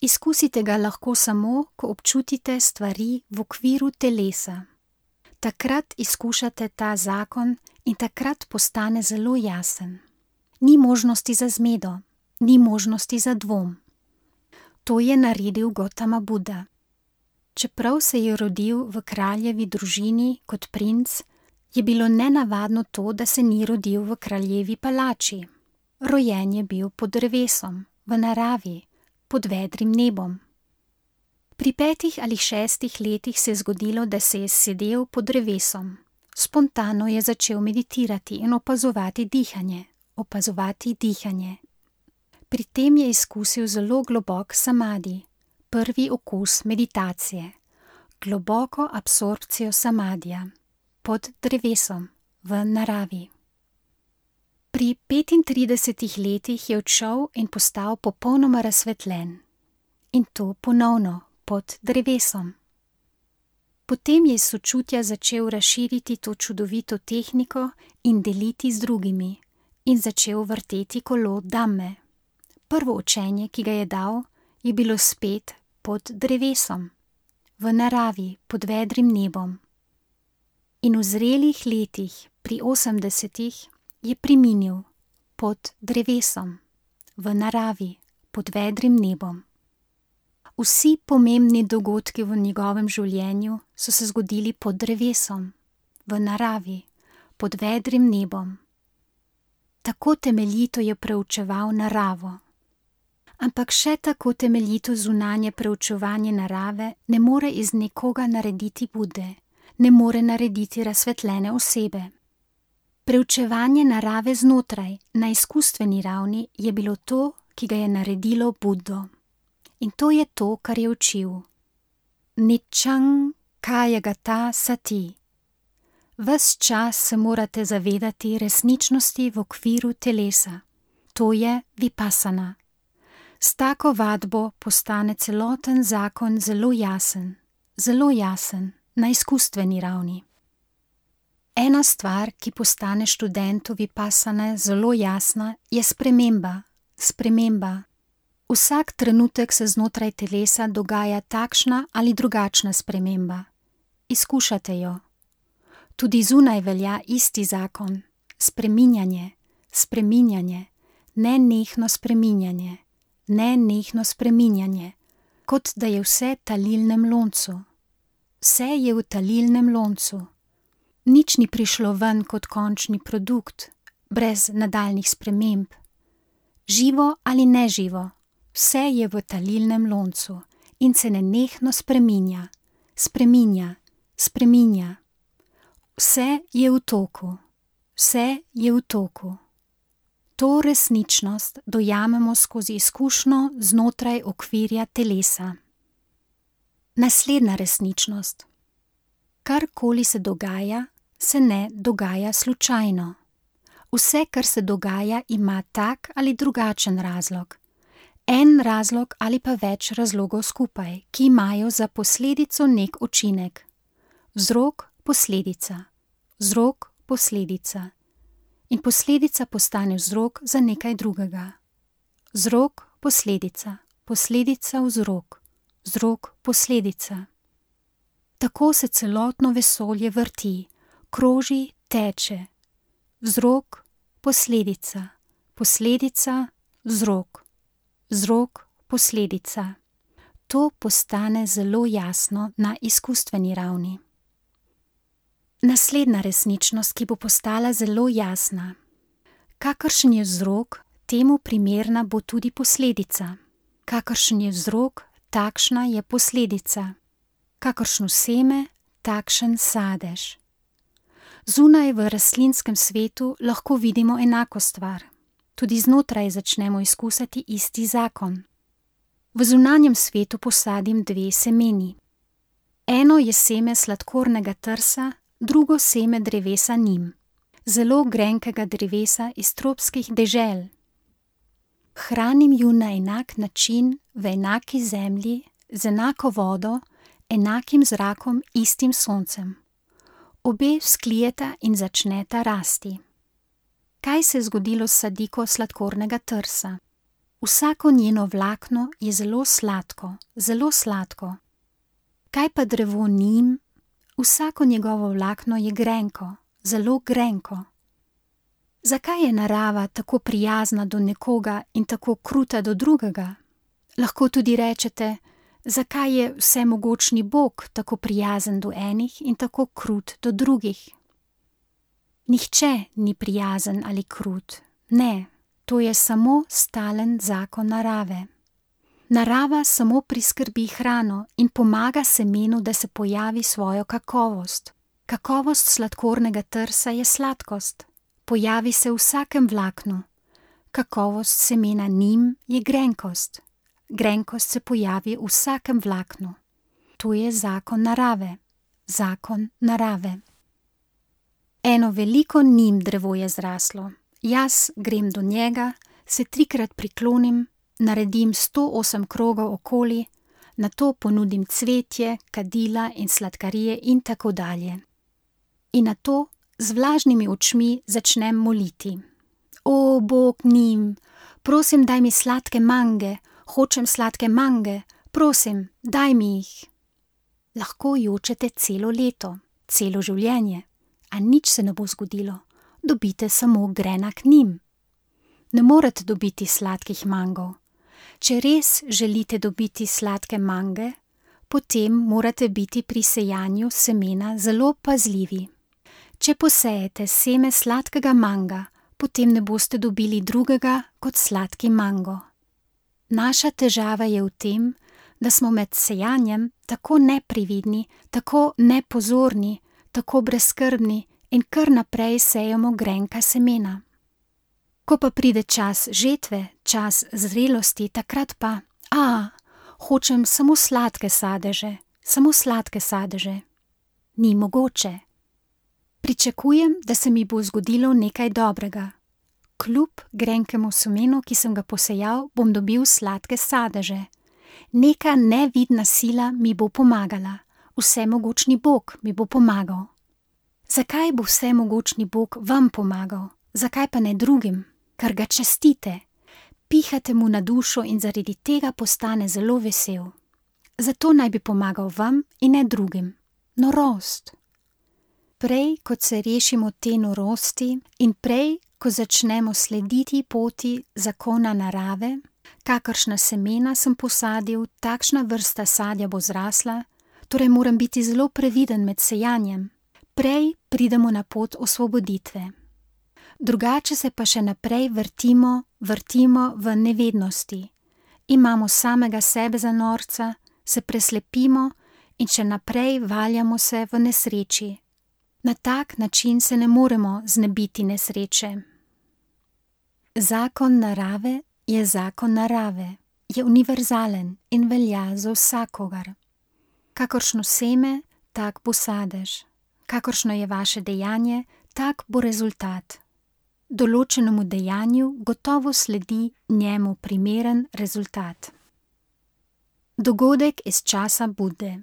Izkusite ga lahko samo, ko občutite stvari v okviru telesa. Takrat izkušate ta zakon in takrat postane zelo jasen. Ni možnosti za zmedo, ni možnosti za dvom. To je naredil Gotama Buda. Čeprav se je rodil v kraljevi družini kot princ, je bilo nenavadno to, da se ni rodil v kraljevi palači. Rojen je bil pod drevesom, v naravi, pod vedrim nebom. Pri petih ali šestih letih se je zgodilo, da se je sedel pod drevesom. Spontano je začel meditirati in opazovati dihanje, opazovati dihanje. Pri tem je izkusil zelo globok samadi, prvi okus meditacije, globoko absorpcijo samadija, pod drevesom, v naravi. Pri petintridesetih letih je odšel in postal popolnoma razsvetljen. In to ponovno, pod drevesom. Potem je iz sočutja začel razširiti to čudovito tehniko in deliti z drugimi in začel vrteti kolo Dhamme. Prvo učenje, ki ga je dal, je bilo spet pod drevesom, v naravi, pod vedrim nebom. In v zrelih letih, pri osemdesetih, je preminil pod drevesom, v naravi, pod vedrim nebom. Vsi pomembni dogodki v njegovem življenju so se zgodili pod drevesom, v naravi, pod vedrim nebom. Tako temeljito je preučeval naravo. Ampak še tako temeljito zunanje preučevanje narave ne more iz nekoga narediti Bude, ne more narediti razsvetljene osebe. Preučevanje narave znotraj, na izkustveni ravni, je bilo to, ki ga je naredilo Buddo. In to je to, kar je učil. Niccang kayagata sati. ves čas se morate zavedati resničnosti v okviru telesa. To je vipassana. S tako vadbo postane celoten zakon zelo jasen, zelo jasen na izkustveni ravni. Ena stvar, ki postane študentu vipassane zelo jasna, je sprememba, sprememba. Vsak trenutek se znotraj telesa dogaja takšna ali drugačna sprememba. Izkušate jo. Tudi zunaj velja isti zakon, spreminjanje, spreminjanje, nenehno spreminjanje, nenehno spreminjanje, kot da je vse v talilnem loncu. Vse je v talilnem loncu. Nič ni prišlo ven kot končni produkt, brez nadaljnih sprememb. Živo ali neživo, vse je v talilnem loncu in se nenehno spreminja, spreminja, spreminja. Vse je v toku, vse je v toku. To resničnost dojamemo skozi izkušnjo znotraj okvirja telesa. Naslednja resničnost. Karkoli se dogaja, se ne dogaja slučajno. Vse, kar se dogaja, ima tak ali drugačen razlog. En razlog ali pa več razlogov skupaj, ki imajo za posledico nek učinek. Vzrok, posledica, vzrok, posledica. In posledica postane vzrok za nekaj drugega. Vzrok, posledica, posledica, vzrok, vzrok, posledica. Tako se celotno vesolje vrti, kroži, teče. Vzrok, posledica, posledica, vzrok, vzrok, posledica. To postane zelo jasno na izkustveni ravni. Naslednja resničnost, ki bo postala zelo jasna. Kakršen je vzrok, temu primerna bo tudi posledica. Kakršen je vzrok, takšna je posledica. Kakršno seme, takšen sadež. Zunaj v rastlinskem svetu lahko vidimo enako stvar. Tudi znotraj začnemo izkusiti isti zakon. V zunanjem svetu posadim dve semeni. Eno je seme sladkornega trsa, drugo seme drevesa nim, zelo grenkega drevesa iz tropskih dežel. Hranim ju na enak način, v enaki zemlji, z enako vodo, enakim zrakom, istim soncem. Obe vzklijeta in začneta rasti. Kaj se je zgodilo s sadiko sladkornega trsa? Vsako njeno vlakno je zelo sladko, zelo sladko. Kaj pa drevo nim? Vsako njegovo vlakno je grenko, zelo grenko. Zakaj je narava tako prijazna do nekoga in tako kruta do drugega? Lahko tudi rečete, zakaj je vsemogočni Bog tako prijazen do enih in tako krut do drugih? Nihče ni prijazen ali krut, ne, to je samo stalen zakon narave. Narava samo priskrbi hrano in pomaga semenu, da se pojavi svojo kakovost. Kakovost sladkornega trsa je sladkost, pojavi se v vsakem vlaknu. Kakovost semena nim je grenkost. Grenkost se pojavi v vsakem vlaknu. To je zakon narave, zakon narave. Eno veliko nim drevo je zraslo. Jaz grem do njega, se trikrat priklonim, naredim sto osem krogov okoli, nato ponudim cvetje, kadila in sladkarije in tako dalje. In nato z vlažnimi očmi začnem moliti. O, Bog nim, prosim, daj mi sladke mange, hočem sladke mange, prosim, daj mi jih. Lahko jočete celo leto, celo življenje, a nič se ne bo zgodilo, dobite samo grenak nim. Ne morete dobiti sladkih mangov. Če res želite dobiti sladke mange, potem morate biti pri sejanju semena zelo pazljivi. Če posejete seme sladkega manga, potem ne boste dobili drugega kot sladki mango. Naša težava je v tem, da smo med sejanjem tako neprevidni, tako nepozorni, tako brezskrbni in kar naprej sejemo grenka semena. Ko pa pride čas žetve, čas zrelosti, takrat pa, a, hočem samo sladke sadeže, samo sladke sadeže. Ni mogoče. Pričakujem, da se mi bo zgodilo nekaj dobrega. Kljub grenkemu semenu, ki sem ga posejal, bom dobil sladke sadeže. Neka nevidna sila mi bo pomagala. Vsemogočni Bog mi bo pomagal. Zakaj bo vsemogočni Bog vam pomagal? Zakaj pa ne drugim? Ker ga častite. Pihate mu na dušo in zaradi tega postane zelo vesel. Zato naj bi pomagal vam in ne drugim. Norost. Prej, kot se rešimo te norosti in prej, ko začnemo slediti poti zakona narave, kakršna semena sem posadil, takšna vrsta sadja bo zrasla, torej moram biti zelo previden med sejanjem. Prej pridemo na pot osvoboditve. Drugače se pa še naprej vrtimo, vrtimo v nevednosti. Imamo samega sebe za norca, se preslepimo in še naprej valjamo se v nesreči. Na tak način se ne moremo znebiti nesreče. Zakon narave je zakon narave, je univerzalen in velja za vsakogar. Kakršno seme, tak bo sadež. Kakršno je vaše dejanje, tak bo rezultat. Določenemu dejanju gotovo sledi njemu primeren rezultat. Dogodek iz časa Bude.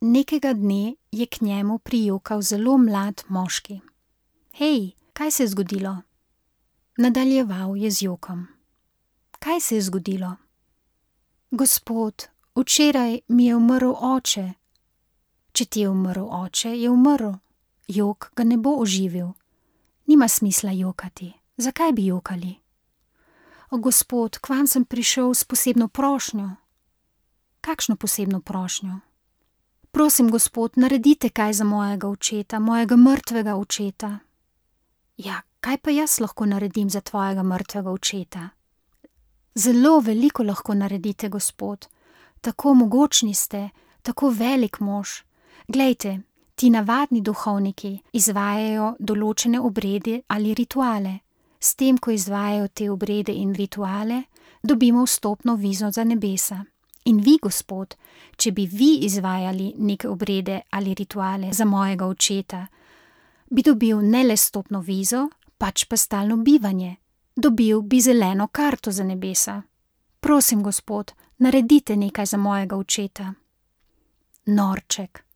Nekega dne je k njemu prijokal zelo mlad moški. Hej, kaj se je zgodilo? Nadaljeval je z jokom. Kaj se je zgodilo? Gospod, včeraj mi je umrl oče. Če ti je umrl oče, je umrl. Jok ga ne bo oživil. Nima smisla jokati. Zakaj bi jokali? O, gospod, k vam sem prišel s posebno prošnjo. Kakšno posebno prošnjo? Prosim, gospod, naredite kaj za mojega očeta, mojega mrtvega očeta. Ja, kaj pa jaz lahko naredim za tvojega mrtvega očeta? Zelo veliko lahko naredite, gospod. Tako mogočni ste, tako velik mož. Glejte, ti navadni duhovniki izvajajo določene obrede ali rituale. S tem, ko izvajajo te obrede in rituale, dobimo vstopno vizo za nebesa. In vi, gospod, če bi vi izvajali neke obrede ali rituale za mojega očeta, bi dobil ne le vstopno vizo, pač pa stalno bivanje. Dobil bi zeleno karto za nebesa. Prosim, gospod, naredite nekaj za mojega očeta. Norček.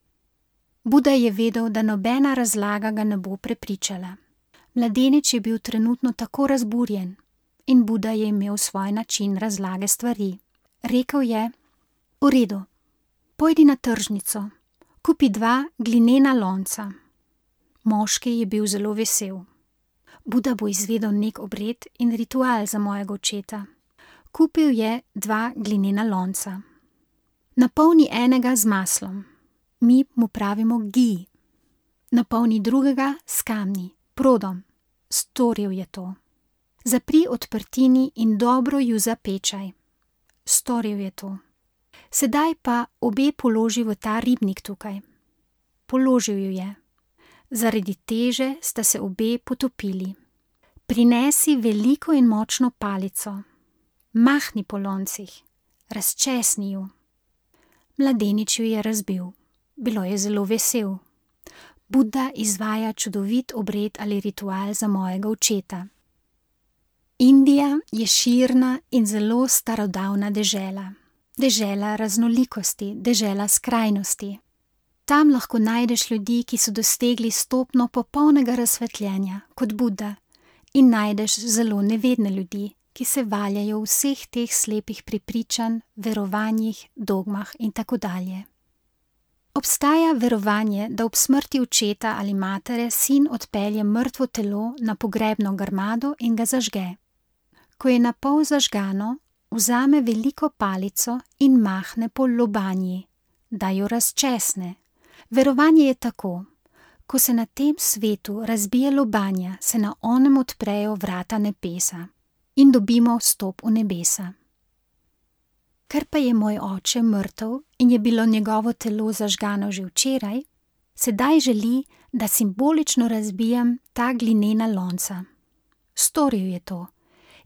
Buda je vedel, da nobena razlaga ga ne bo prepričala. Mladenič je bil trenutno tako razburjen in Buda je imel svoj način razlage stvari. Rekel je: V redu, pojdi na tržnico, kupi dva glinena lonca. Moški je bil zelo vesel. Buda bo izvedel nek obred in ritual za mojega očeta. Kupil je dva glinena lonca. Napolni enega z maslom. Mi mu pravimo gi. Napolni drugega s kamni, prodom. Storil je to. Zapri odprtini in dobro ju zapečaj. Storil je to. Sedaj pa obe položi v ta ribnik tukaj. Položil ju je. Zaradi teže sta se obe potopili. Prinesi veliko in močno palico. Mahni po loncih. Razčesni ju. Mladenič ju je razbil. Bilo je zelo vesel. Buda izvaja čudovit obred ali ritual za mojega očeta. Indija je širna in zelo starodavna dežela. Dežela raznolikosti, dežela skrajnosti. Tam lahko najdeš ljudi, ki so dosegli stopno popolnega razsvetljenja, kot Buda, in najdeš zelo nevedne ljudi, ki se valjajo v vseh teh slepih prepričanj, verovanjih, dogmah in tako dalje. Obstaja verovanje, da ob smrti očeta ali matere sin odpelje mrtvo telo na pogrebno grmado in ga zažge. Ko je na pol zažgano, vzame veliko palico in mahne po lobanji, da jo razčesne. Verovanje je tako: ko se na tem svetu razbije lobanja, se na onem odprejo vrata nebesa in dobimo vstop v nebesa. Ker pa je moj oče mrtev in je bilo njegovo telo zažgano že včeraj, sedaj želi, da simbolično razbijem ta glinena lonca. Storil je to.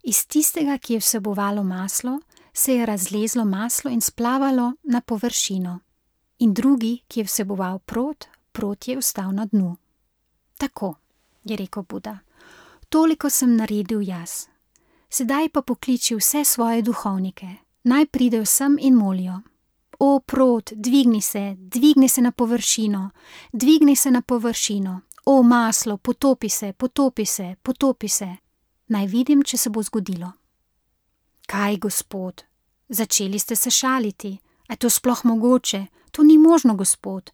Iz tistega, ki je vsebovalo maslo, se je razlezlo maslo in splavalo na površino. In drugi, ki je vseboval prod, prod je ostal na dnu. Tako, je rekel Buda, toliko sem naredil jaz. Sedaj pa pokliči vse svoje duhovnike, naj pridejo sem in molijo. O, prot, dvigni se, dvigni se na površino, dvigni se na površino. O, maslo, potopi se, potopi se, potopi se. Naj vidim, če se bo zgodilo. Kaj, gospod? Začeli ste se šaliti. A je to sploh mogoče? To ni možno, gospod.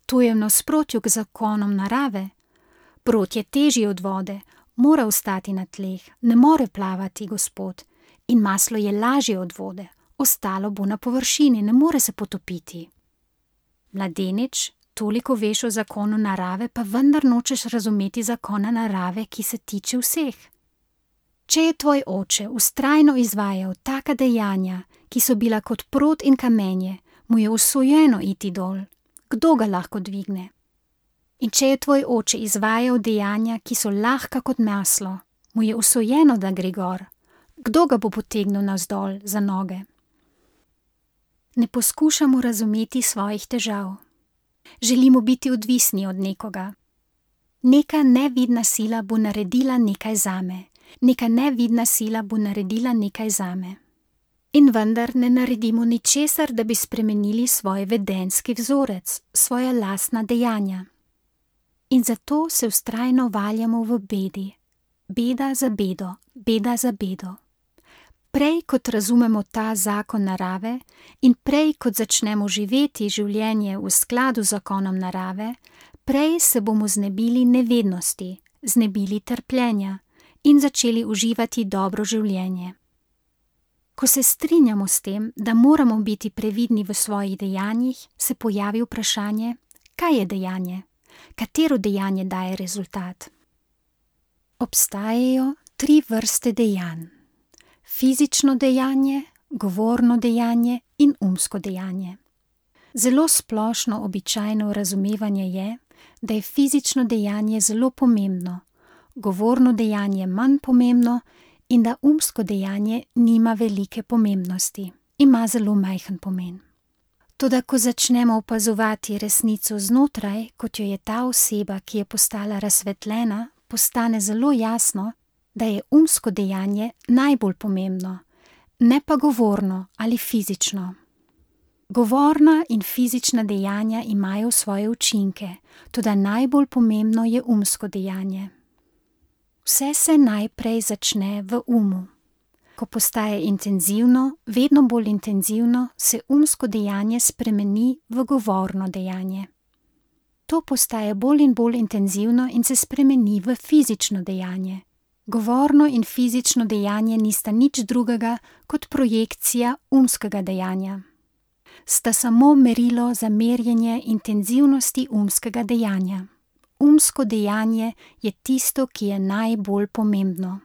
To je v nasprotju k zakonom narave. Prot je težji od vode, mora ostati na tleh, ne more plavati, gospod. In maslo je lažje od vode, ostalo bo na površini, ne more se potopiti. Mladenič, toliko veš o zakonu narave, pa vendar nočeš razumeti zakona narave, ki se tiče vseh. Če je tvoj oče vztrajno izvajal taka dejanja, ki so bila kot prot in kamenje, mu je usojeno iti dol. Kdo ga lahko dvigne? In če je tvoj oče izvajal dejanja, ki so lahka kot maslo, mu je usojeno, da gre gor. Kdo ga bo potegnil navzdol za noge? Ne poskušamo razumeti svojih težav. Želimo biti odvisni od nekoga. Neka nevidna sila bo naredila nekaj zame. Neka nevidna sila bo naredila nekaj zame. In vendar ne naredimo ničesar, da bi spremenili svoj vedenjski vzorec, svoja lastna dejanja. In zato se vztrajno valjamo v bedi. Beda za bedo, beda za bedo. Prej kot razumemo ta zakon narave in prej kot začnemo živeti življenje v skladu z zakonom narave, prej se bomo znebili nevednosti, znebili trpljenja in začeli uživati dobro življenje. Ko se strinjamo s tem, da moramo biti previdni v svojih dejanjih, se pojavi vprašanje, kaj je dejanje? Katero dejanje daje rezultat? Obstajajo tri vrste dejanj. Fizično dejanje, govorno dejanje in umsko dejanje. Zelo splošno običajno razumevanje je, da je fizično dejanje zelo pomembno, govorno dejanje manj pomembno in da umsko dejanje nima velike pomembnosti, ima zelo majhen pomen. Toda ko začnemo opazovati resnico znotraj, kot jo je ta oseba, ki je postala razsvetljena, postane zelo jasno, da je umsko dejanje najbolj pomembno, ne pa govorno ali fizično. Govorna in fizična dejanja imajo svoje učinke, toda najbolj pomembno je umsko dejanje. Vse se najprej začne v umu. Ko postaje intenzivno, vedno bolj intenzivno, se umsko dejanje spremeni v govorno dejanje. To postaje bolj in bolj intenzivno in se spremeni v fizično dejanje. Govorno in fizično dejanje nista nič drugega kot projekcija umskega dejanja. Sta samo merilo za merjenje intenzivnosti umskega dejanja. Umsko dejanje je tisto, ki je najbolj pomembno.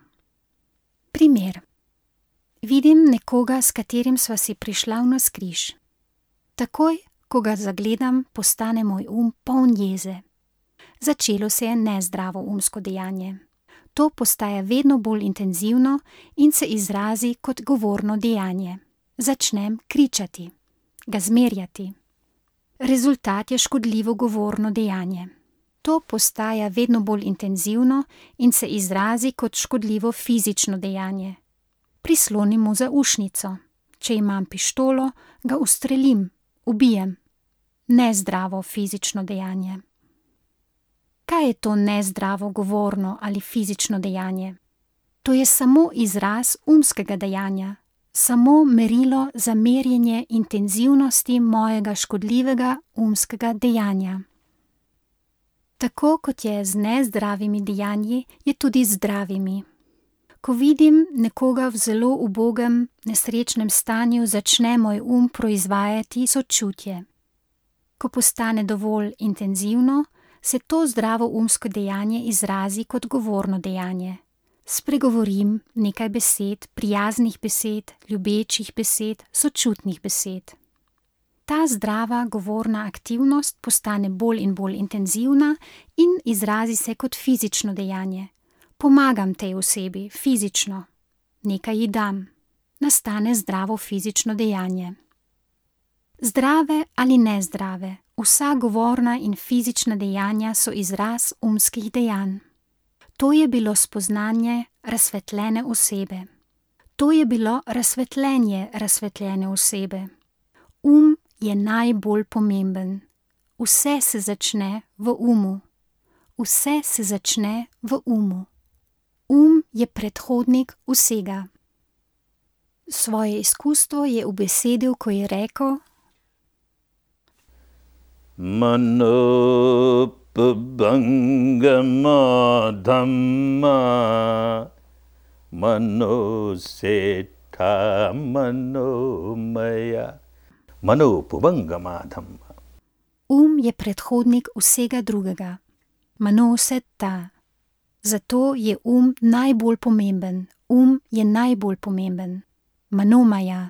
Primer. Vidim nekoga, s katerim sva si prišla v navzkriž. Takoj, ko ga zagledam, postane moj um poln jeze. Začelo se je nezdravo umsko dejanje. To postaja vedno bolj intenzivno in se izrazi kot govorno dejanje. Začnem kričati, ga zmerjati. Rezultat je škodljivo govorno dejanje. To postaja vedno bolj intenzivno in se izrazi kot škodljivo fizično dejanje. Prislonim mu zaušnico. Če imam pištolo, ga ustrelim, ubijem. Nezdravo fizično dejanje. Kaj je to nezdravo govorno ali fizično dejanje? To je samo izraz umskega dejanja, samo merilo za merjenje intenzivnosti mojega škodljivega umskega dejanja. Tako kot je z nezdravimi dejanji, je tudi z zdravimi. Ko vidim nekoga v zelo ubogem, nesrečnem stanju, začne moj um proizvajati sočutje. Ko postane dovolj intenzivno, se to zdravo umsko dejanje izrazi kot govorno dejanje. Spregovorim nekaj besed, prijaznih besed, ljubečih besed, sočutnih besed. Ta zdrava govorna aktivnost postane bolj in bolj intenzivna in izrazi se kot fizično dejanje. Pomagam tej osebi fizično, nekaj ji dam. Nastane zdravo fizično dejanje. Zdrave ali nezdrave, Vsa govorna in fizična dejanja so izraz umskih dejanj. To je bilo spoznanje razsvetljene osebe. To je bilo razsvetljenje razsvetljene osebe. Um je najbolj pomemben. Vse se začne v umu. Vse se začne v umu. Um je predhodnik vsega. Svoje izkustvo je ubesedil, ko je rekel: Mano pabangama dhamma mano seta mano maya mano pabangama dhamma. Um je predhodnik vsega drugega. Mano seta. Zato je um najbolj pomemben. Um je najbolj pomemben. Manomaya.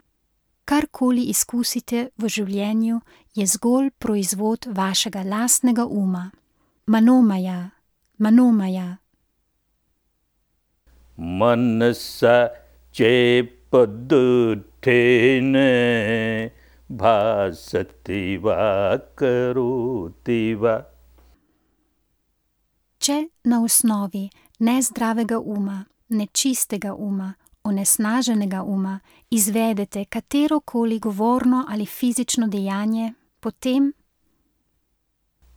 Karkoli izkusite v življenju, je zgolj proizvod vašega lastnega uma. Manomaya, manomaya. Manasa chepadutene bhasativa karutiva. Če na osnovi nezdravega uma, nečistega uma, onesnaženega uma izvedete katerokoli govorno ali fizično dejanje, potem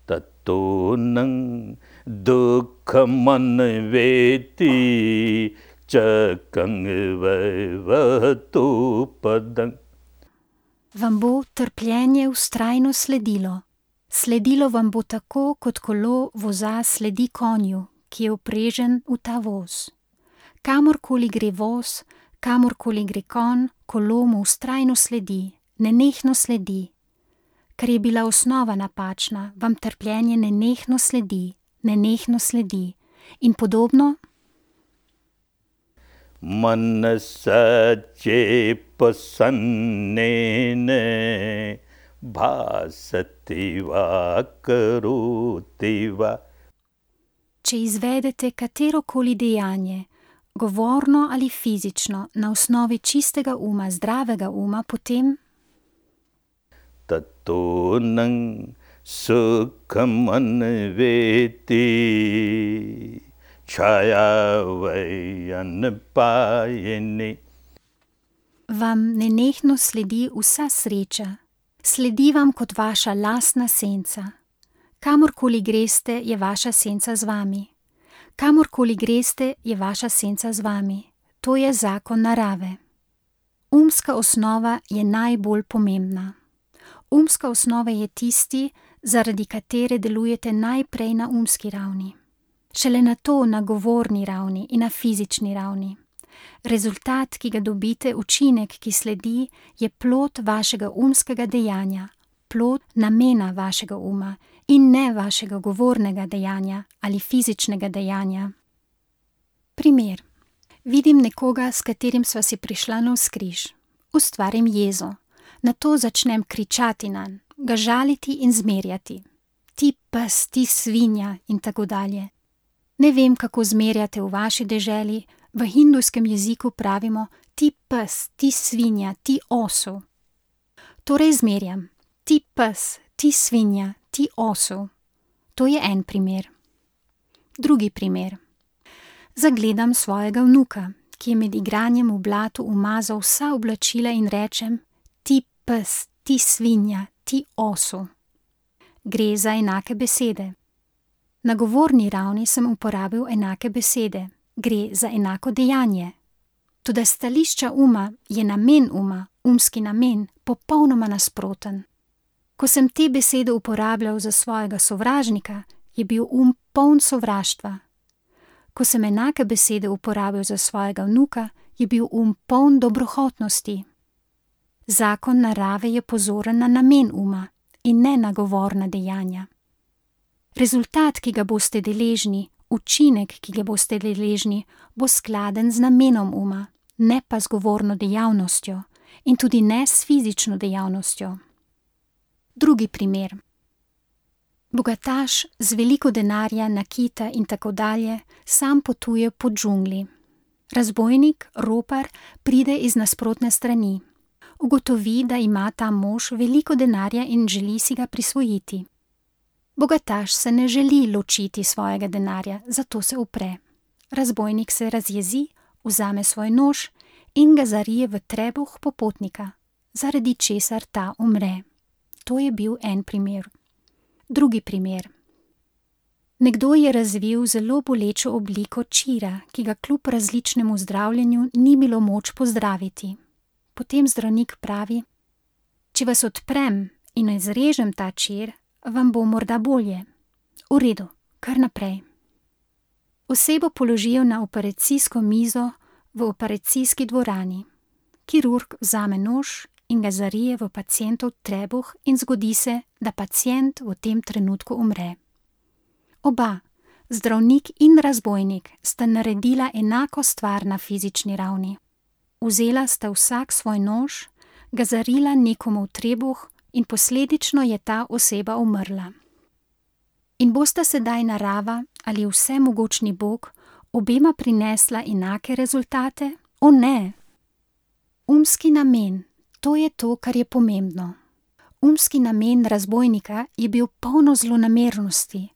Tatonang dukhamanveti chakang vaivatu padang. vam bo trpljenje vztrajno sledilo. Sledilo vam bo tako, kot kolo voza sledi konju, ki je vprežen v ta voz. Kamorkoli gre voz, kamorkoli gre konj, kolo mu vztrajno sledi, nenehno sledi. Ker je bila osnova napačna, vam trpljenje nenehno sledi, nenehno sledi. In podobno? Manasa chepasannene bhasativa karutiva. Če izvedete katerokoli dejanje, govorno ali fizično, na osnovi čistega uma, zdravega uma, potem Tatonang sukhamanveti chayavayanapayeni. vam nenehno sledi vsa sreča. Sledi vam kot vaša lastna senca. Kamorkoli greste, je vaša senca z vami. Kamorkoli greste, je vaša senca z vami. To je zakon narave. Umska osnova je najbolj pomembna. Umska osnova je tisti, zaradi katere delujete najprej na umski ravni. Šele nato na govorni ravni in na fizični ravni. Rezultat, ki ga dobite, učinek, ki sledi, je plod vašega umskega dejanja, plod namena vašega uma in ne vašega govornega dejanja ali fizičnega dejanja. Primer. Vidim nekoga, s katerim sva si prišla navzkriž. Ustvarim jezo. Nato začnem kričati nanj, ga žaliti in zmerjati. Ti pes, ti svinja in tako dalje. Ne vem, kako zmerjate v vaši deželi. V hindujskem jeziku pravimo ti pes, ti svinja, ti osu. Torej zmerjam. Ti pes, ti svinja, ti osu. To je en primer. Drugi primer. Zagledam svojega vnuka, ki je med igranjem v blatu umazal vsa oblačila in rečem: ti pes, ti svinja, ti osu. Gre za enake besede. Na govorni ravni sem uporabil enake besede. Gre za enako dejanje. Toda stališča uma je namen uma, umski namen, popolnoma nasproten. Ko sem te besede uporabljal za svojega sovražnika, je bil um poln sovraštva. Ko sem enake besede uporabil za svojega vnuka, je bil um poln dobrohotnosti. Zakon narave je pozoren na namen uma in ne na govorna dejanja. Rezultat, ki ga boste deležni, učinek, ki ga boste deležni, bo skladen z namenom uma, ne pa z govorno dejavnostjo in tudi ne s fizično dejavnostjo. Drugi primer. Bogataš z veliko denarja, nakita in tako dalje sam potuje po džungli. Razbojnik, ropar, pride iz nasprotne strani. ugotovi, da ima ta mož veliko denarja in želi si ga prisvojiti. Bogataš se ne želi ločiti svojega denarja, zato se upre. Razbojnik se razjezi, vzame svoj nož in ga zarije v trebuh popotnika, zaradi česar ta umre. To je bil en primer. Drugi primer. Nekdo je razvil zelo bolečo obliko čira, ki ga kljub različnemu zdravljenju ni bilo moč pozdraviti. Potem zdravnik pravi: če vas odprem in izrežem ta čir, vam bo morda bolje. V redu, kar naprej. Osebo položijo na operacijsko mizo v operacijski dvorani. Kirurg vzame nož in ga zarije v pacientov trebuh in zgodi se, da pacient v tem trenutku umre. Oba, zdravnik in razbojnik, sta naredila enako stvar na fizični ravni. Vzela sta vsak svoj nož, ga zarila nekomu v trebuh in posledično je ta oseba umrla. In bosta sedaj narava ali vsemogočni Bog obema prinesla enake rezultate? O ne! Umski namen, to je to, kar je pomembno. Umski namen razbojnika je bil polno zlonamernosti,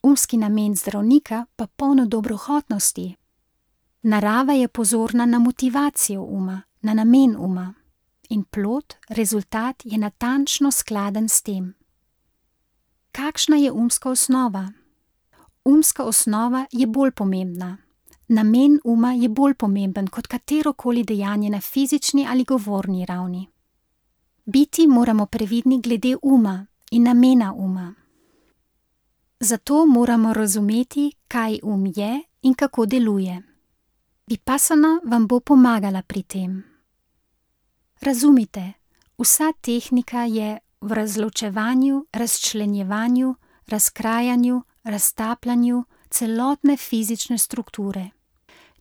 umski namen zdravnika pa polno dobrohotnosti. Narava je pozorna na motivacijo uma, na namen uma. In plod, rezultat je natančno skladen s tem. Kakšna je umska osnova? Umska osnova je bolj pomembna. Namen uma je bolj pomemben kot katerokoli dejanje na fizični ali govorni ravni. Biti moramo previdni glede uma in namena uma. Zato moramo razumeti, kaj um je in kako deluje. Vipassana vam bo pomagala pri tem. Razumite, vsa tehnika je v razločevanju, razčlenjevanju, razkrajanju, raztapljanju celotne fizične strukture.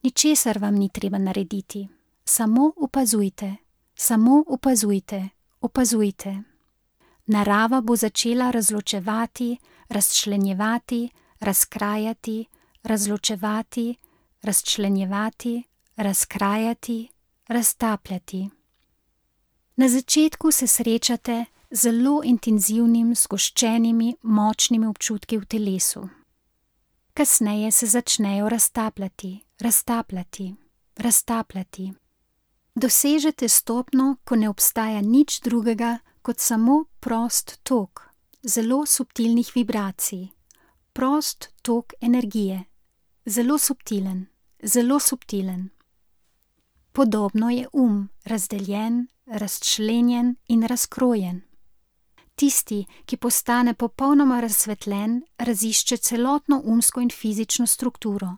Ničesar vam ni treba narediti, samo opazujte, samo opazujte, opazujte. Narava bo začela razločevati, razčlenjevati, razkrajati, razločevati, razčlenjevati, razkrajati, raztapljati. Na začetku se srečate z zelo intenzivnim, zgoščenimi, močnimi občutki v telesu. Kasneje se začnejo raztapljati, raztapljati, raztapljati. Dosežete stopnjo, ko ne obstaja nič drugega kot samo prost tok, zelo subtilnih vibracij, prost tok energije, zelo subtilen, zelo subtilen. Podobno je um, razdeljen, razčlenjen in razkrojen. Tisti, ki postane popolnoma razsvetljen, razišče celotno umsko in fizično strukturo.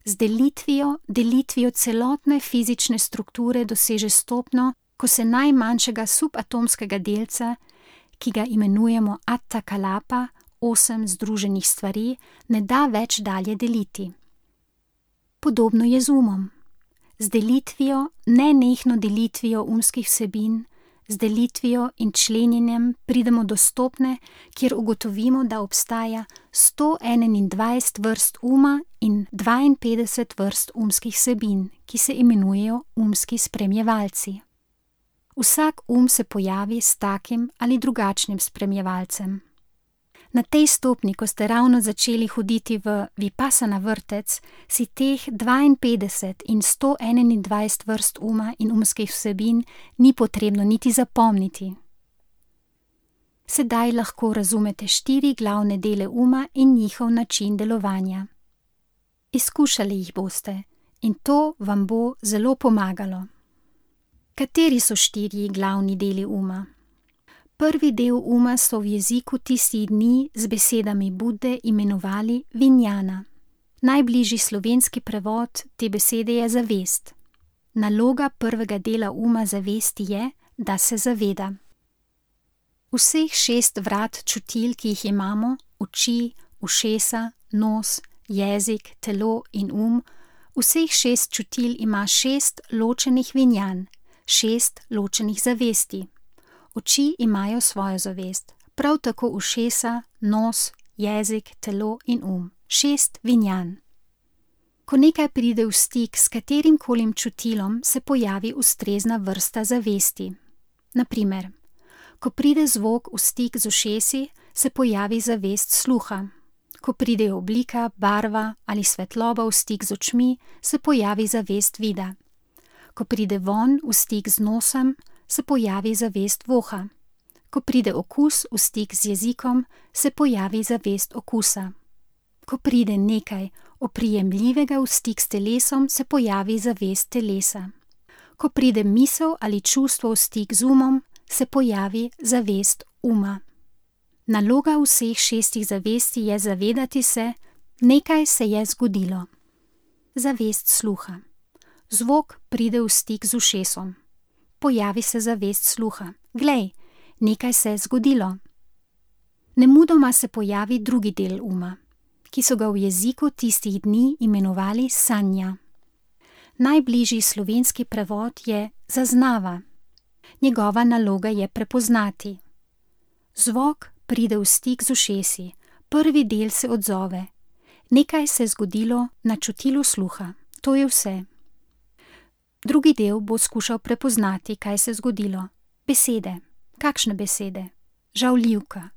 Z delitvijo, delitvijo celotne fizične strukture doseže stopnjo, ko se najmanjšega subatomskega delca, ki ga imenujemo atta kalapa, osem združenih stvari, ne da več dalje deliti. Podobno je z umom. Z delitvijo, nenehno delitvijo umskih vsebin, z delitvijo in členjenjem pridemo do stopnje, kjer ugotovimo, da obstaja sto enaindvajset vrst uma in dvainpetdeset vrst umskih vsebin, ki se imenujejo umski spremljevalci. Vsak um se pojavi s takim ali drugačnim spremljevalcem. Na tej stopni, ko ste ravno začeli hoditi v Vipassana vrtec, si teh dvainpetdeset in sto enaindvajset vrst uma in umskih vsebin ni potrebno niti zapomniti. Sedaj lahko razumete štiri glavne dele uma in njihov način delovanja. Izkušali jih boste in to vam bo zelo pomagalo. Kateri so štiri glavni deli uma? Prvi del uma so v jeziku tistih dni z besedami Budde imenovali vinjana. Najbližji slovenski prevod te besede je zavest. Naloga prvega dela uma zavesti je, da se zaveda. Vseh šest vrat čutil, ki jih imamo, oči, ušesa, nos, jezik, telo in um, vseh šest čutil ima šest ločenih vinjan, šest ločenih zavesti. Oči imajo svojo zavest, prav tako ušesa, nos, jezik, telo in um. Šest vinjan. Ko nekaj pride v stik s katerim kolim čutilom, se pojavi ustrezna vrsta zavesti. Na primer, ko pride zvok v stik z ušesi, se pojavi zavest sluha. Ko pride oblika, barva ali svetloba v stik z očmi, se pojavi zavest vida. Ko pride vonj v stik z nosom, se pojavi zavest voha. Ko pride okus v stik z jezikom, se pojavi zavest okusa. Ko pride nekaj oprijemljivega v stik s telesom, se pojavi zavest telesa. Ko pride misel ali čustvo v stik z umom, se pojavi zavest uma. Naloga vseh šestih zavesti je zavedati se, nekaj se je zgodilo. Zavest sluha. Zvok pride v stik z ušesom. Pojavi se zavest sluha. Glej, nekaj se je zgodilo. Nemudoma se pojavi drugi del uma, ki so ga v jeziku tistih dni imenovali sanja. Najbližji slovenski prevod je zaznava. Njegova naloga je prepoznati. Zvok pride v stik z ušesi, prvi del se odzove. Nekaj se je zgodilo na čutilu sluha, to je vse. Drugi del bo skušal prepoznati, kaj se je zgodilo. Besede. Kakšne besede? Žaljivka.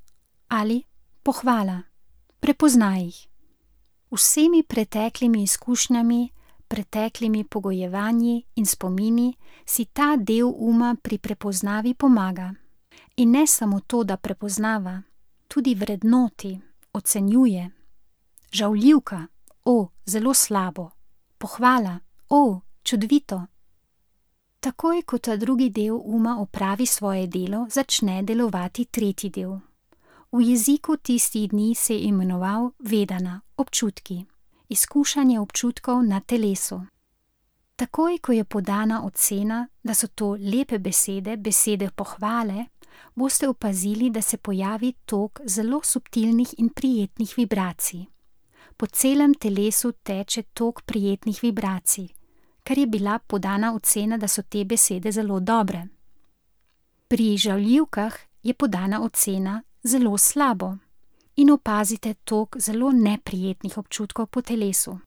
Ali pohvala. Prepoznaj jih. Vsemi preteklimi izkušnjami, preteklimi pogojevanji in spomini si ta del uma pri prepoznavi pomaga. In ne samo to, da prepoznava, tudi vrednoti, ocenjuje. Žaljivka, o, zelo slabo. Pohvala, o, čudovito. Takoj, ko ta drugi del uma opravi svoje delo, začne delovati tretji del. V jeziku tistih dni se je imenoval vedana, občutki, izkušanje občutkov na telesu. Takoj, ko je podana ocena, da so to lepe besede, besede pohvale, boste opazili, da se pojavi tok zelo subtilnih in prijetnih vibracij. Po celem telesu teče tok prijetnih vibracij, ker je bila podana ocena, da so te besede zelo dobre. Pri žaljivkah je podana ocena zelo slabo in opazite tok zelo neprijetnih občutkov po telesu.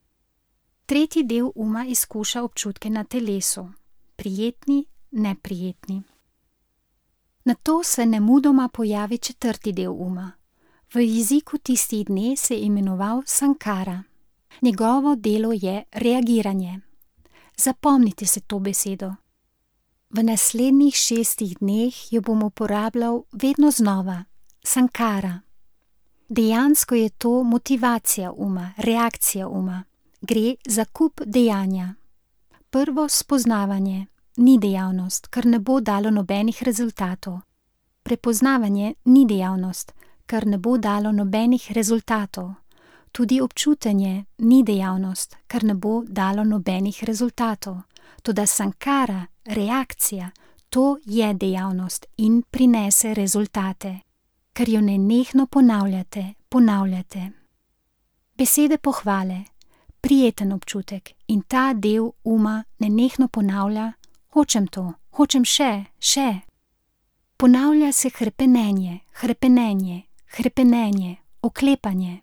Tretji del uma izkuša občutke na telesu, prijetni, neprijetni. Nato se nemudoma pojavi četrti del uma. V jeziku tistih dni se je imenoval sankara. Njegovo delo je reagiranje. Zapomnite se to besedo. V naslednjih šestih dneh jo bom uporabljal vedno znova. Sankara. Dejansko je to motivacija uma, reakcija uma. Gre za kup dejanja. Prvo spoznavanje ni dejavnost, ker ne bo dalo nobenih rezultatov. Prepoznavanje ni dejavnost, ker ne bo dalo nobenih rezultatov. Tudi občutenje ni dejavnost, ker ne bo dalo nobenih rezultatov. Toda sankara, reakcija, to je dejavnost in prinese rezultate, ker jo nenehno ponavljate, ponavljate. Besede pohvale, prijeten občutek in ta del uma nenehno ponavlja, hočem to, hočem še, še. Ponavlja se hrepenenje, hrepenenje, hrepenenje, oklepanje.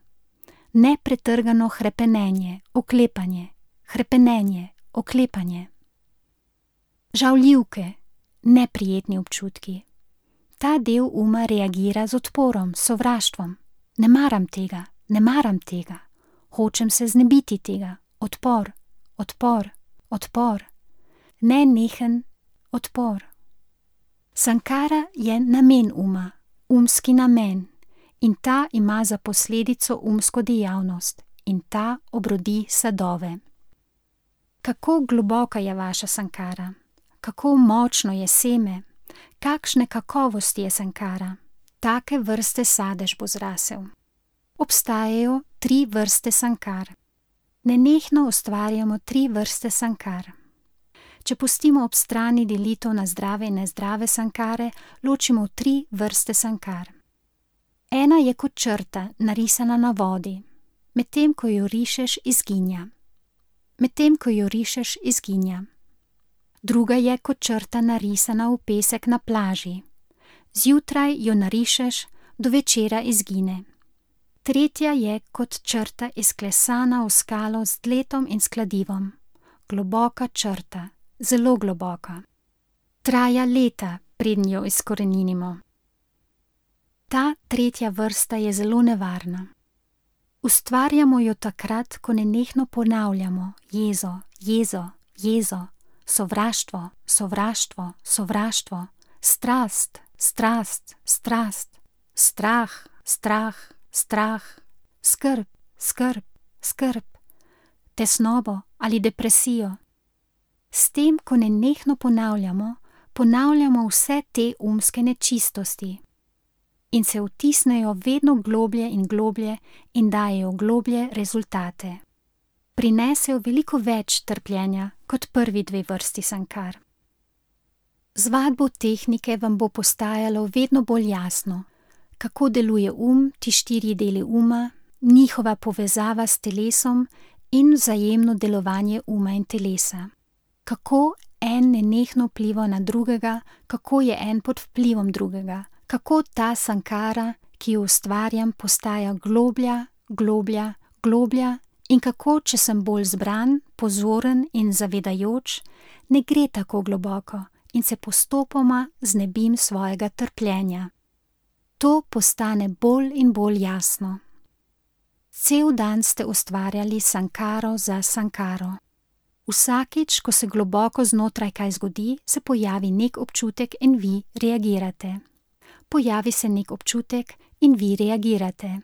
Nepretrgano hrepenenje, oklepanje, hrepenenje, oklepanje. Žaljivke, neprijetni občutki. Ta del uma reagira z odporom, sovraštvom. Ne maram tega, ne maram tega. Hočem se znebiti tega. Odpor, odpor, odpor. Nenehen odpor. Sankara je namen uma, umski namen. In ta ima za posledico umsko dejavnost in ta obrodi sadove. Kako globoka je vaša sankara? Kako močno je seme? Kakšne kakovosti je sankara? Take vrste sadež bo zrasel. Obstajajo tri vrste sankar. Nenehno ustvarjamo tri vrste sankar. Če pustimo ob strani delitev na zdrave in nezdrave sankare, ločimo tri vrste sankar. Ena je kot črta, narisana na vodi. Medtem, ko jo rišeš, izginja. Medtem, ko jo rišeš, izginja. Druga je kot črta, narisana v pesek na plaži. Zjutraj jo narišeš, do večera izgine. Tretja je kot črta, izklesana v skalo z dletom in s kladivom. Globoka črta, zelo globoka. Traja leta, preden jo izkoreninimo. Ta tretja vrsta je zelo nevarna. Ustvarjamo jo takrat, ko nenehno ponavljamo jezo, jezo, jezo, sovraštvo, sovraštvo, sovraštvo, strast, strast, strast, strah, strah, strah, skrb, skrb, skrb, tesnobo ali depresijo. S tem, ko nenehno ponavljamo, ponavljamo vse te umske nečistosti in se vtisnejo vedno globlje in globlje in dajejo globlje rezultate. Prinesejo veliko več trpljenja kot prvi dve vrsti sankar. Z vadbo tehnike vam bo postajalo vedno bolj jasno, kako deluje um, ti štiri deli uma, njihova povezava s telesom in vzajemno delovanje uma in telesa. Kako en nenehno vpliva na drugega, kako je en pod vplivom drugega, kako ta sankara, ki jo ustvarjam, postaja globlja, globlja, globlja in kako, če sem bolj zbran, pozoren in zavedajoč, ne gre tako globoko in se postopoma znebim svojega trpljenja. To postane bolj in bolj jasno. Cel dan ste ustvarjali sankaro za sankaro. Vsakič, ko se globoko znotraj kaj zgodi, se pojavi nek občutek in vi reagirate. Pojavi se nek občutek in vi reagirate.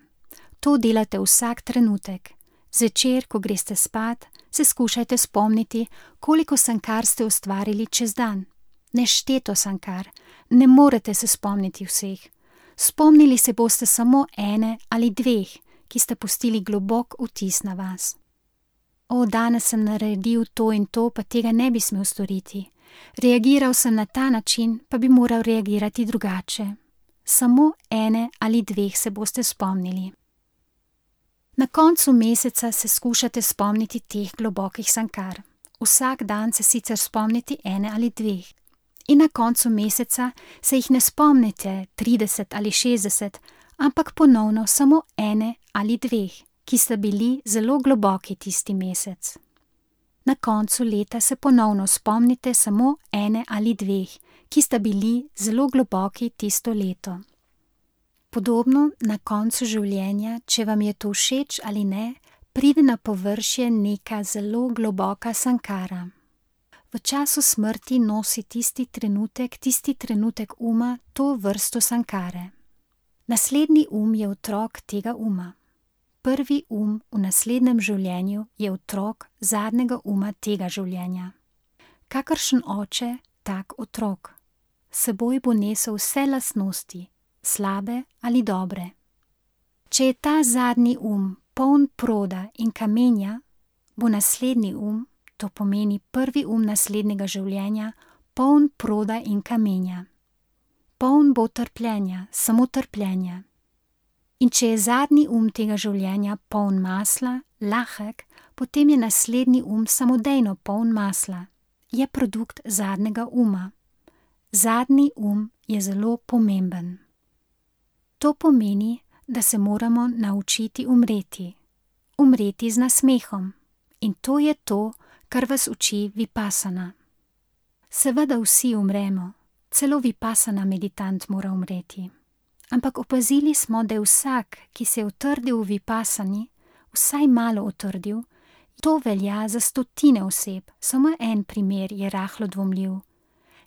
To delate vsak trenutek. Zvečer, ko greste spat, se skušajte spomniti, koliko sankar ste ustvarili čez dan. Nešteto sankar, ne morete se spomniti vseh. Spomnili se boste samo ene ali dveh, ki ste pustili globok vtis na vas. O, danes sem naredil to in to, pa tega ne bi smel storiti. Reagiral sem na ta način, pa bi moral reagirati drugače. Samo ene ali dveh se boste spomnili. Na koncu meseca se skušate spomniti teh globokih sankar. Vsak dan se sicer spomniti ene ali dveh. In na koncu meseca se jih ne spomnite trideset ali šestdeset, ampak ponovno samo ene ali dveh, ki sta bili zelo globoki tisti mesec. Na koncu leta se ponovno spomnite samo ene ali dveh, ki sta bili zelo globoki tisto leto. Podobno na koncu življenja, če vam je to všeč ali ne, pride na površje neka zelo globoka sankara. V času smrti nosi tisti trenutek, tisti trenutek uma, to vrsto sankare. Naslednji um je otrok tega uma. Prvi um v naslednjem življenju je otrok zadnjega uma tega življenja. Kakršen oče, tak otrok. S seboj bo nesel vse lastnosti, slabe ali dobre. Če je ta zadnji um poln proda in kamenja, bo naslednji um, to pomeni prvi um naslednjega življenja, poln proda in kamenja. Poln bo trpljenja, samo trpljenja. In če je zadnji um tega življenja poln masla, lahek, potem je naslednji um samodejno poln masla. Je produkt zadnjega uma. Zadnji um je zelo pomemben. To pomeni, da se moramo naučiti umreti. Umreti z nasmehom. In to je to, kar vas uči Vipassana. Seveda vsi umremo, celo Vipassana meditant mora umreti. Ampak opazili smo, da je vsak, ki se je utrdil v Vipassani, vsaj malo utrdil, to velja za stotine oseb, samo en primer je rahlo dvomljiv.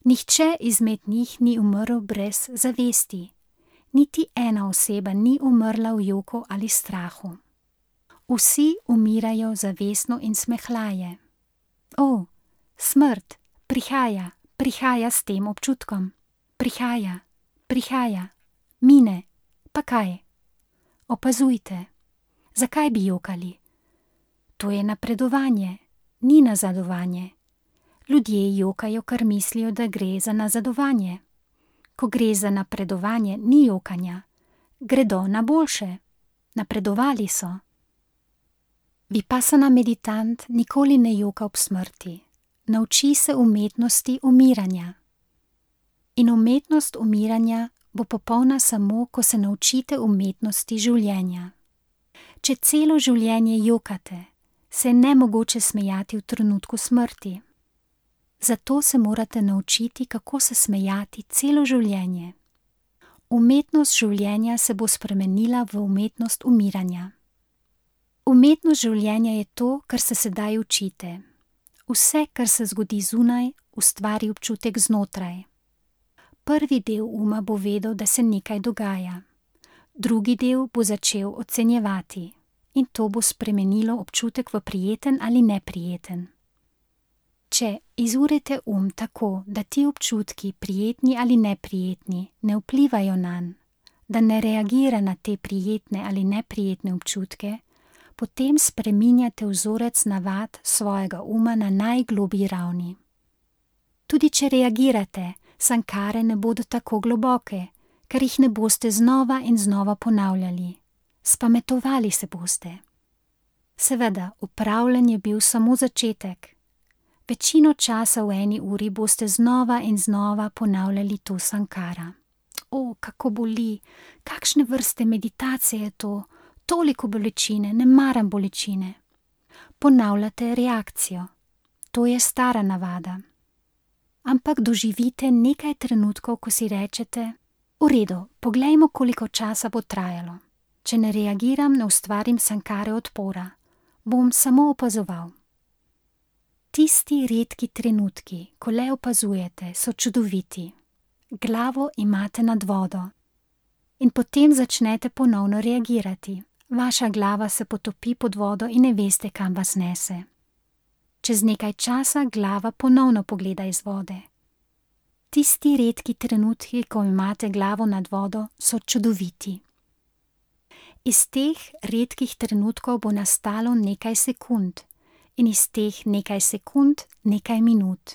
Nihče izmed njih ni umrl brez zavesti. Niti ena oseba ni umrla v joku ali strahu. Vsi umirajo zavestno in smehlaje. O, smrt, prihaja, prihaja s tem občutkom. Prihaja, prihaja, mine, pa kaj? Opazujte. Zakaj bi jokali? To je napredovanje, ni nazadovanje. Ljudje jokajo, ker mislijo, da gre za nazadovanje. Ko gre za napredovanje, ni jokanja. Gredo na boljše. Napredovali so. Vipassana meditant nikoli ne joka ob smrti. Nauči se umetnosti umiranja. In umetnost umiranja bo popolna samo, ko se naučite umetnosti življenja. Če celo življenje jokate, se je nemogoče smejati v trenutku smrti. Zato se morate naučiti, kako se smejati celo življenje. Umetnost življenja se bo spremenila v umetnost umiranja. Umetnost življenja je to, kar se sedaj učite. Vse, kar se zgodi zunaj, ustvari občutek znotraj. Prvi del uma bo vedel, da se nekaj dogaja. Drugi del bo začel ocenjevati in to bo spremenilo občutek v prijeten ali neprijeten. Če izurite um tako, da ti občutki, prijetni ali neprijetni, ne vplivajo nanj, da ne reagira na te prijetne ali neprijetne občutke, potem spreminjate vzorec navad svojega uma na najgloblji ravni. Tudi če reagirate, sankare ne bodo tako globoke, ker jih ne boste znova in znova ponavljali. Spametovali se boste. Seveda, upravljanje je bil samo začetek. Večino časa v eni uri boste znova in znova ponavljali to sankara. O, kako boli, kakšne vrste meditacije je to, toliko bolečine, ne maram bolečine. Ponavljate reakcijo. To je stara navada. Ampak doživite nekaj trenutkov, ko si rečete, v redu, poglejmo, koliko časa bo trajalo. Če ne reagiram, ne ustvarim sankare odpora. Bom samo opazoval. Tisti redki trenutki, ko le opazujete, so čudoviti. Glavo imate nad vodo. In potem začnete ponovno reagirati. Vaša glava se potopi pod vodo in ne veste, kam vas nese. Čez nekaj časa glava ponovno pogleda iz vode. Tisti redki trenutki, ko imate glavo nad vodo, so čudoviti. Iz teh redkih trenutkov bo nastalo nekaj sekund in iz teh nekaj sekund nekaj minut.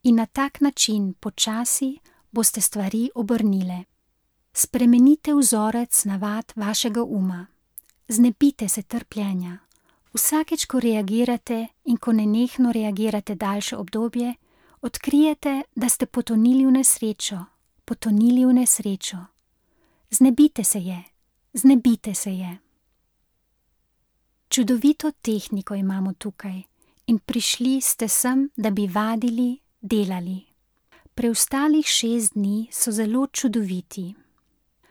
In na tak način počasi boste stvari obrnile. Spremenite vzorec navad vašega uma. Znebite se trpljenja. Vsakeč, ko reagirate in ko nenehno reagirate daljše obdobje, odkrijete, da ste potonili v nesrečo, potonili v nesrečo. Znebite se je, znebite se je. Čudovito tehniko imamo tukaj in prišli ste sem, da bi vadili, delali. Preostalih šest dni so zelo čudoviti.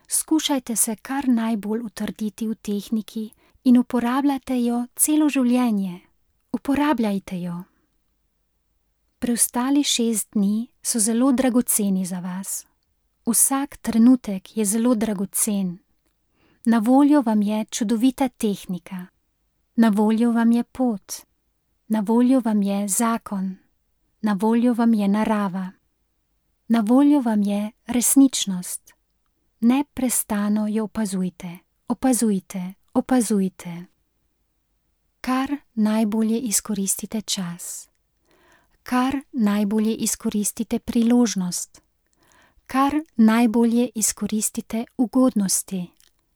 Skušajte se kar najbolj utrditi v tehniki in uporabljajte jo celo življenje. Uporabljajte jo. Preostali šest dni so zelo dragoceni za vas. Vsak trenutek je zelo dragocen. Na voljo vam je čudovita tehnika. Na voljo vam je pot. Na voljo vam je zakon. Na voljo vam je narava. Na voljo vam je resničnost. Neprestano jo opazujte, opazujte, opazujte. Kar najbolje izkoristite čas. Kar najbolje izkoristite priložnost. Kar najbolje izkoristite ugodnosti,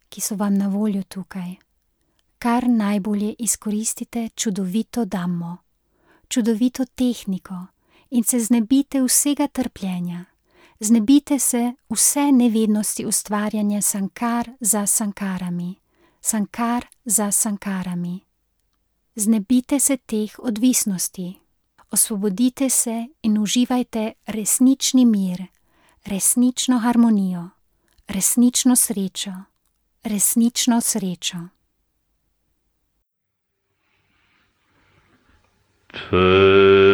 ki so vam na voljo tukaj. Kar najbolje izkoristite čudovito dhammo, čudovito tehniko in se znebite vsega trpljenja. Znebite se vse nevednosti ustvarjanja sankar za sankarami, sankar za sankarami. Znebite se teh odvisnosti. Osvobodite se in uživajte resnični mir, resnično harmonijo, resnično srečo, resnično srečo. P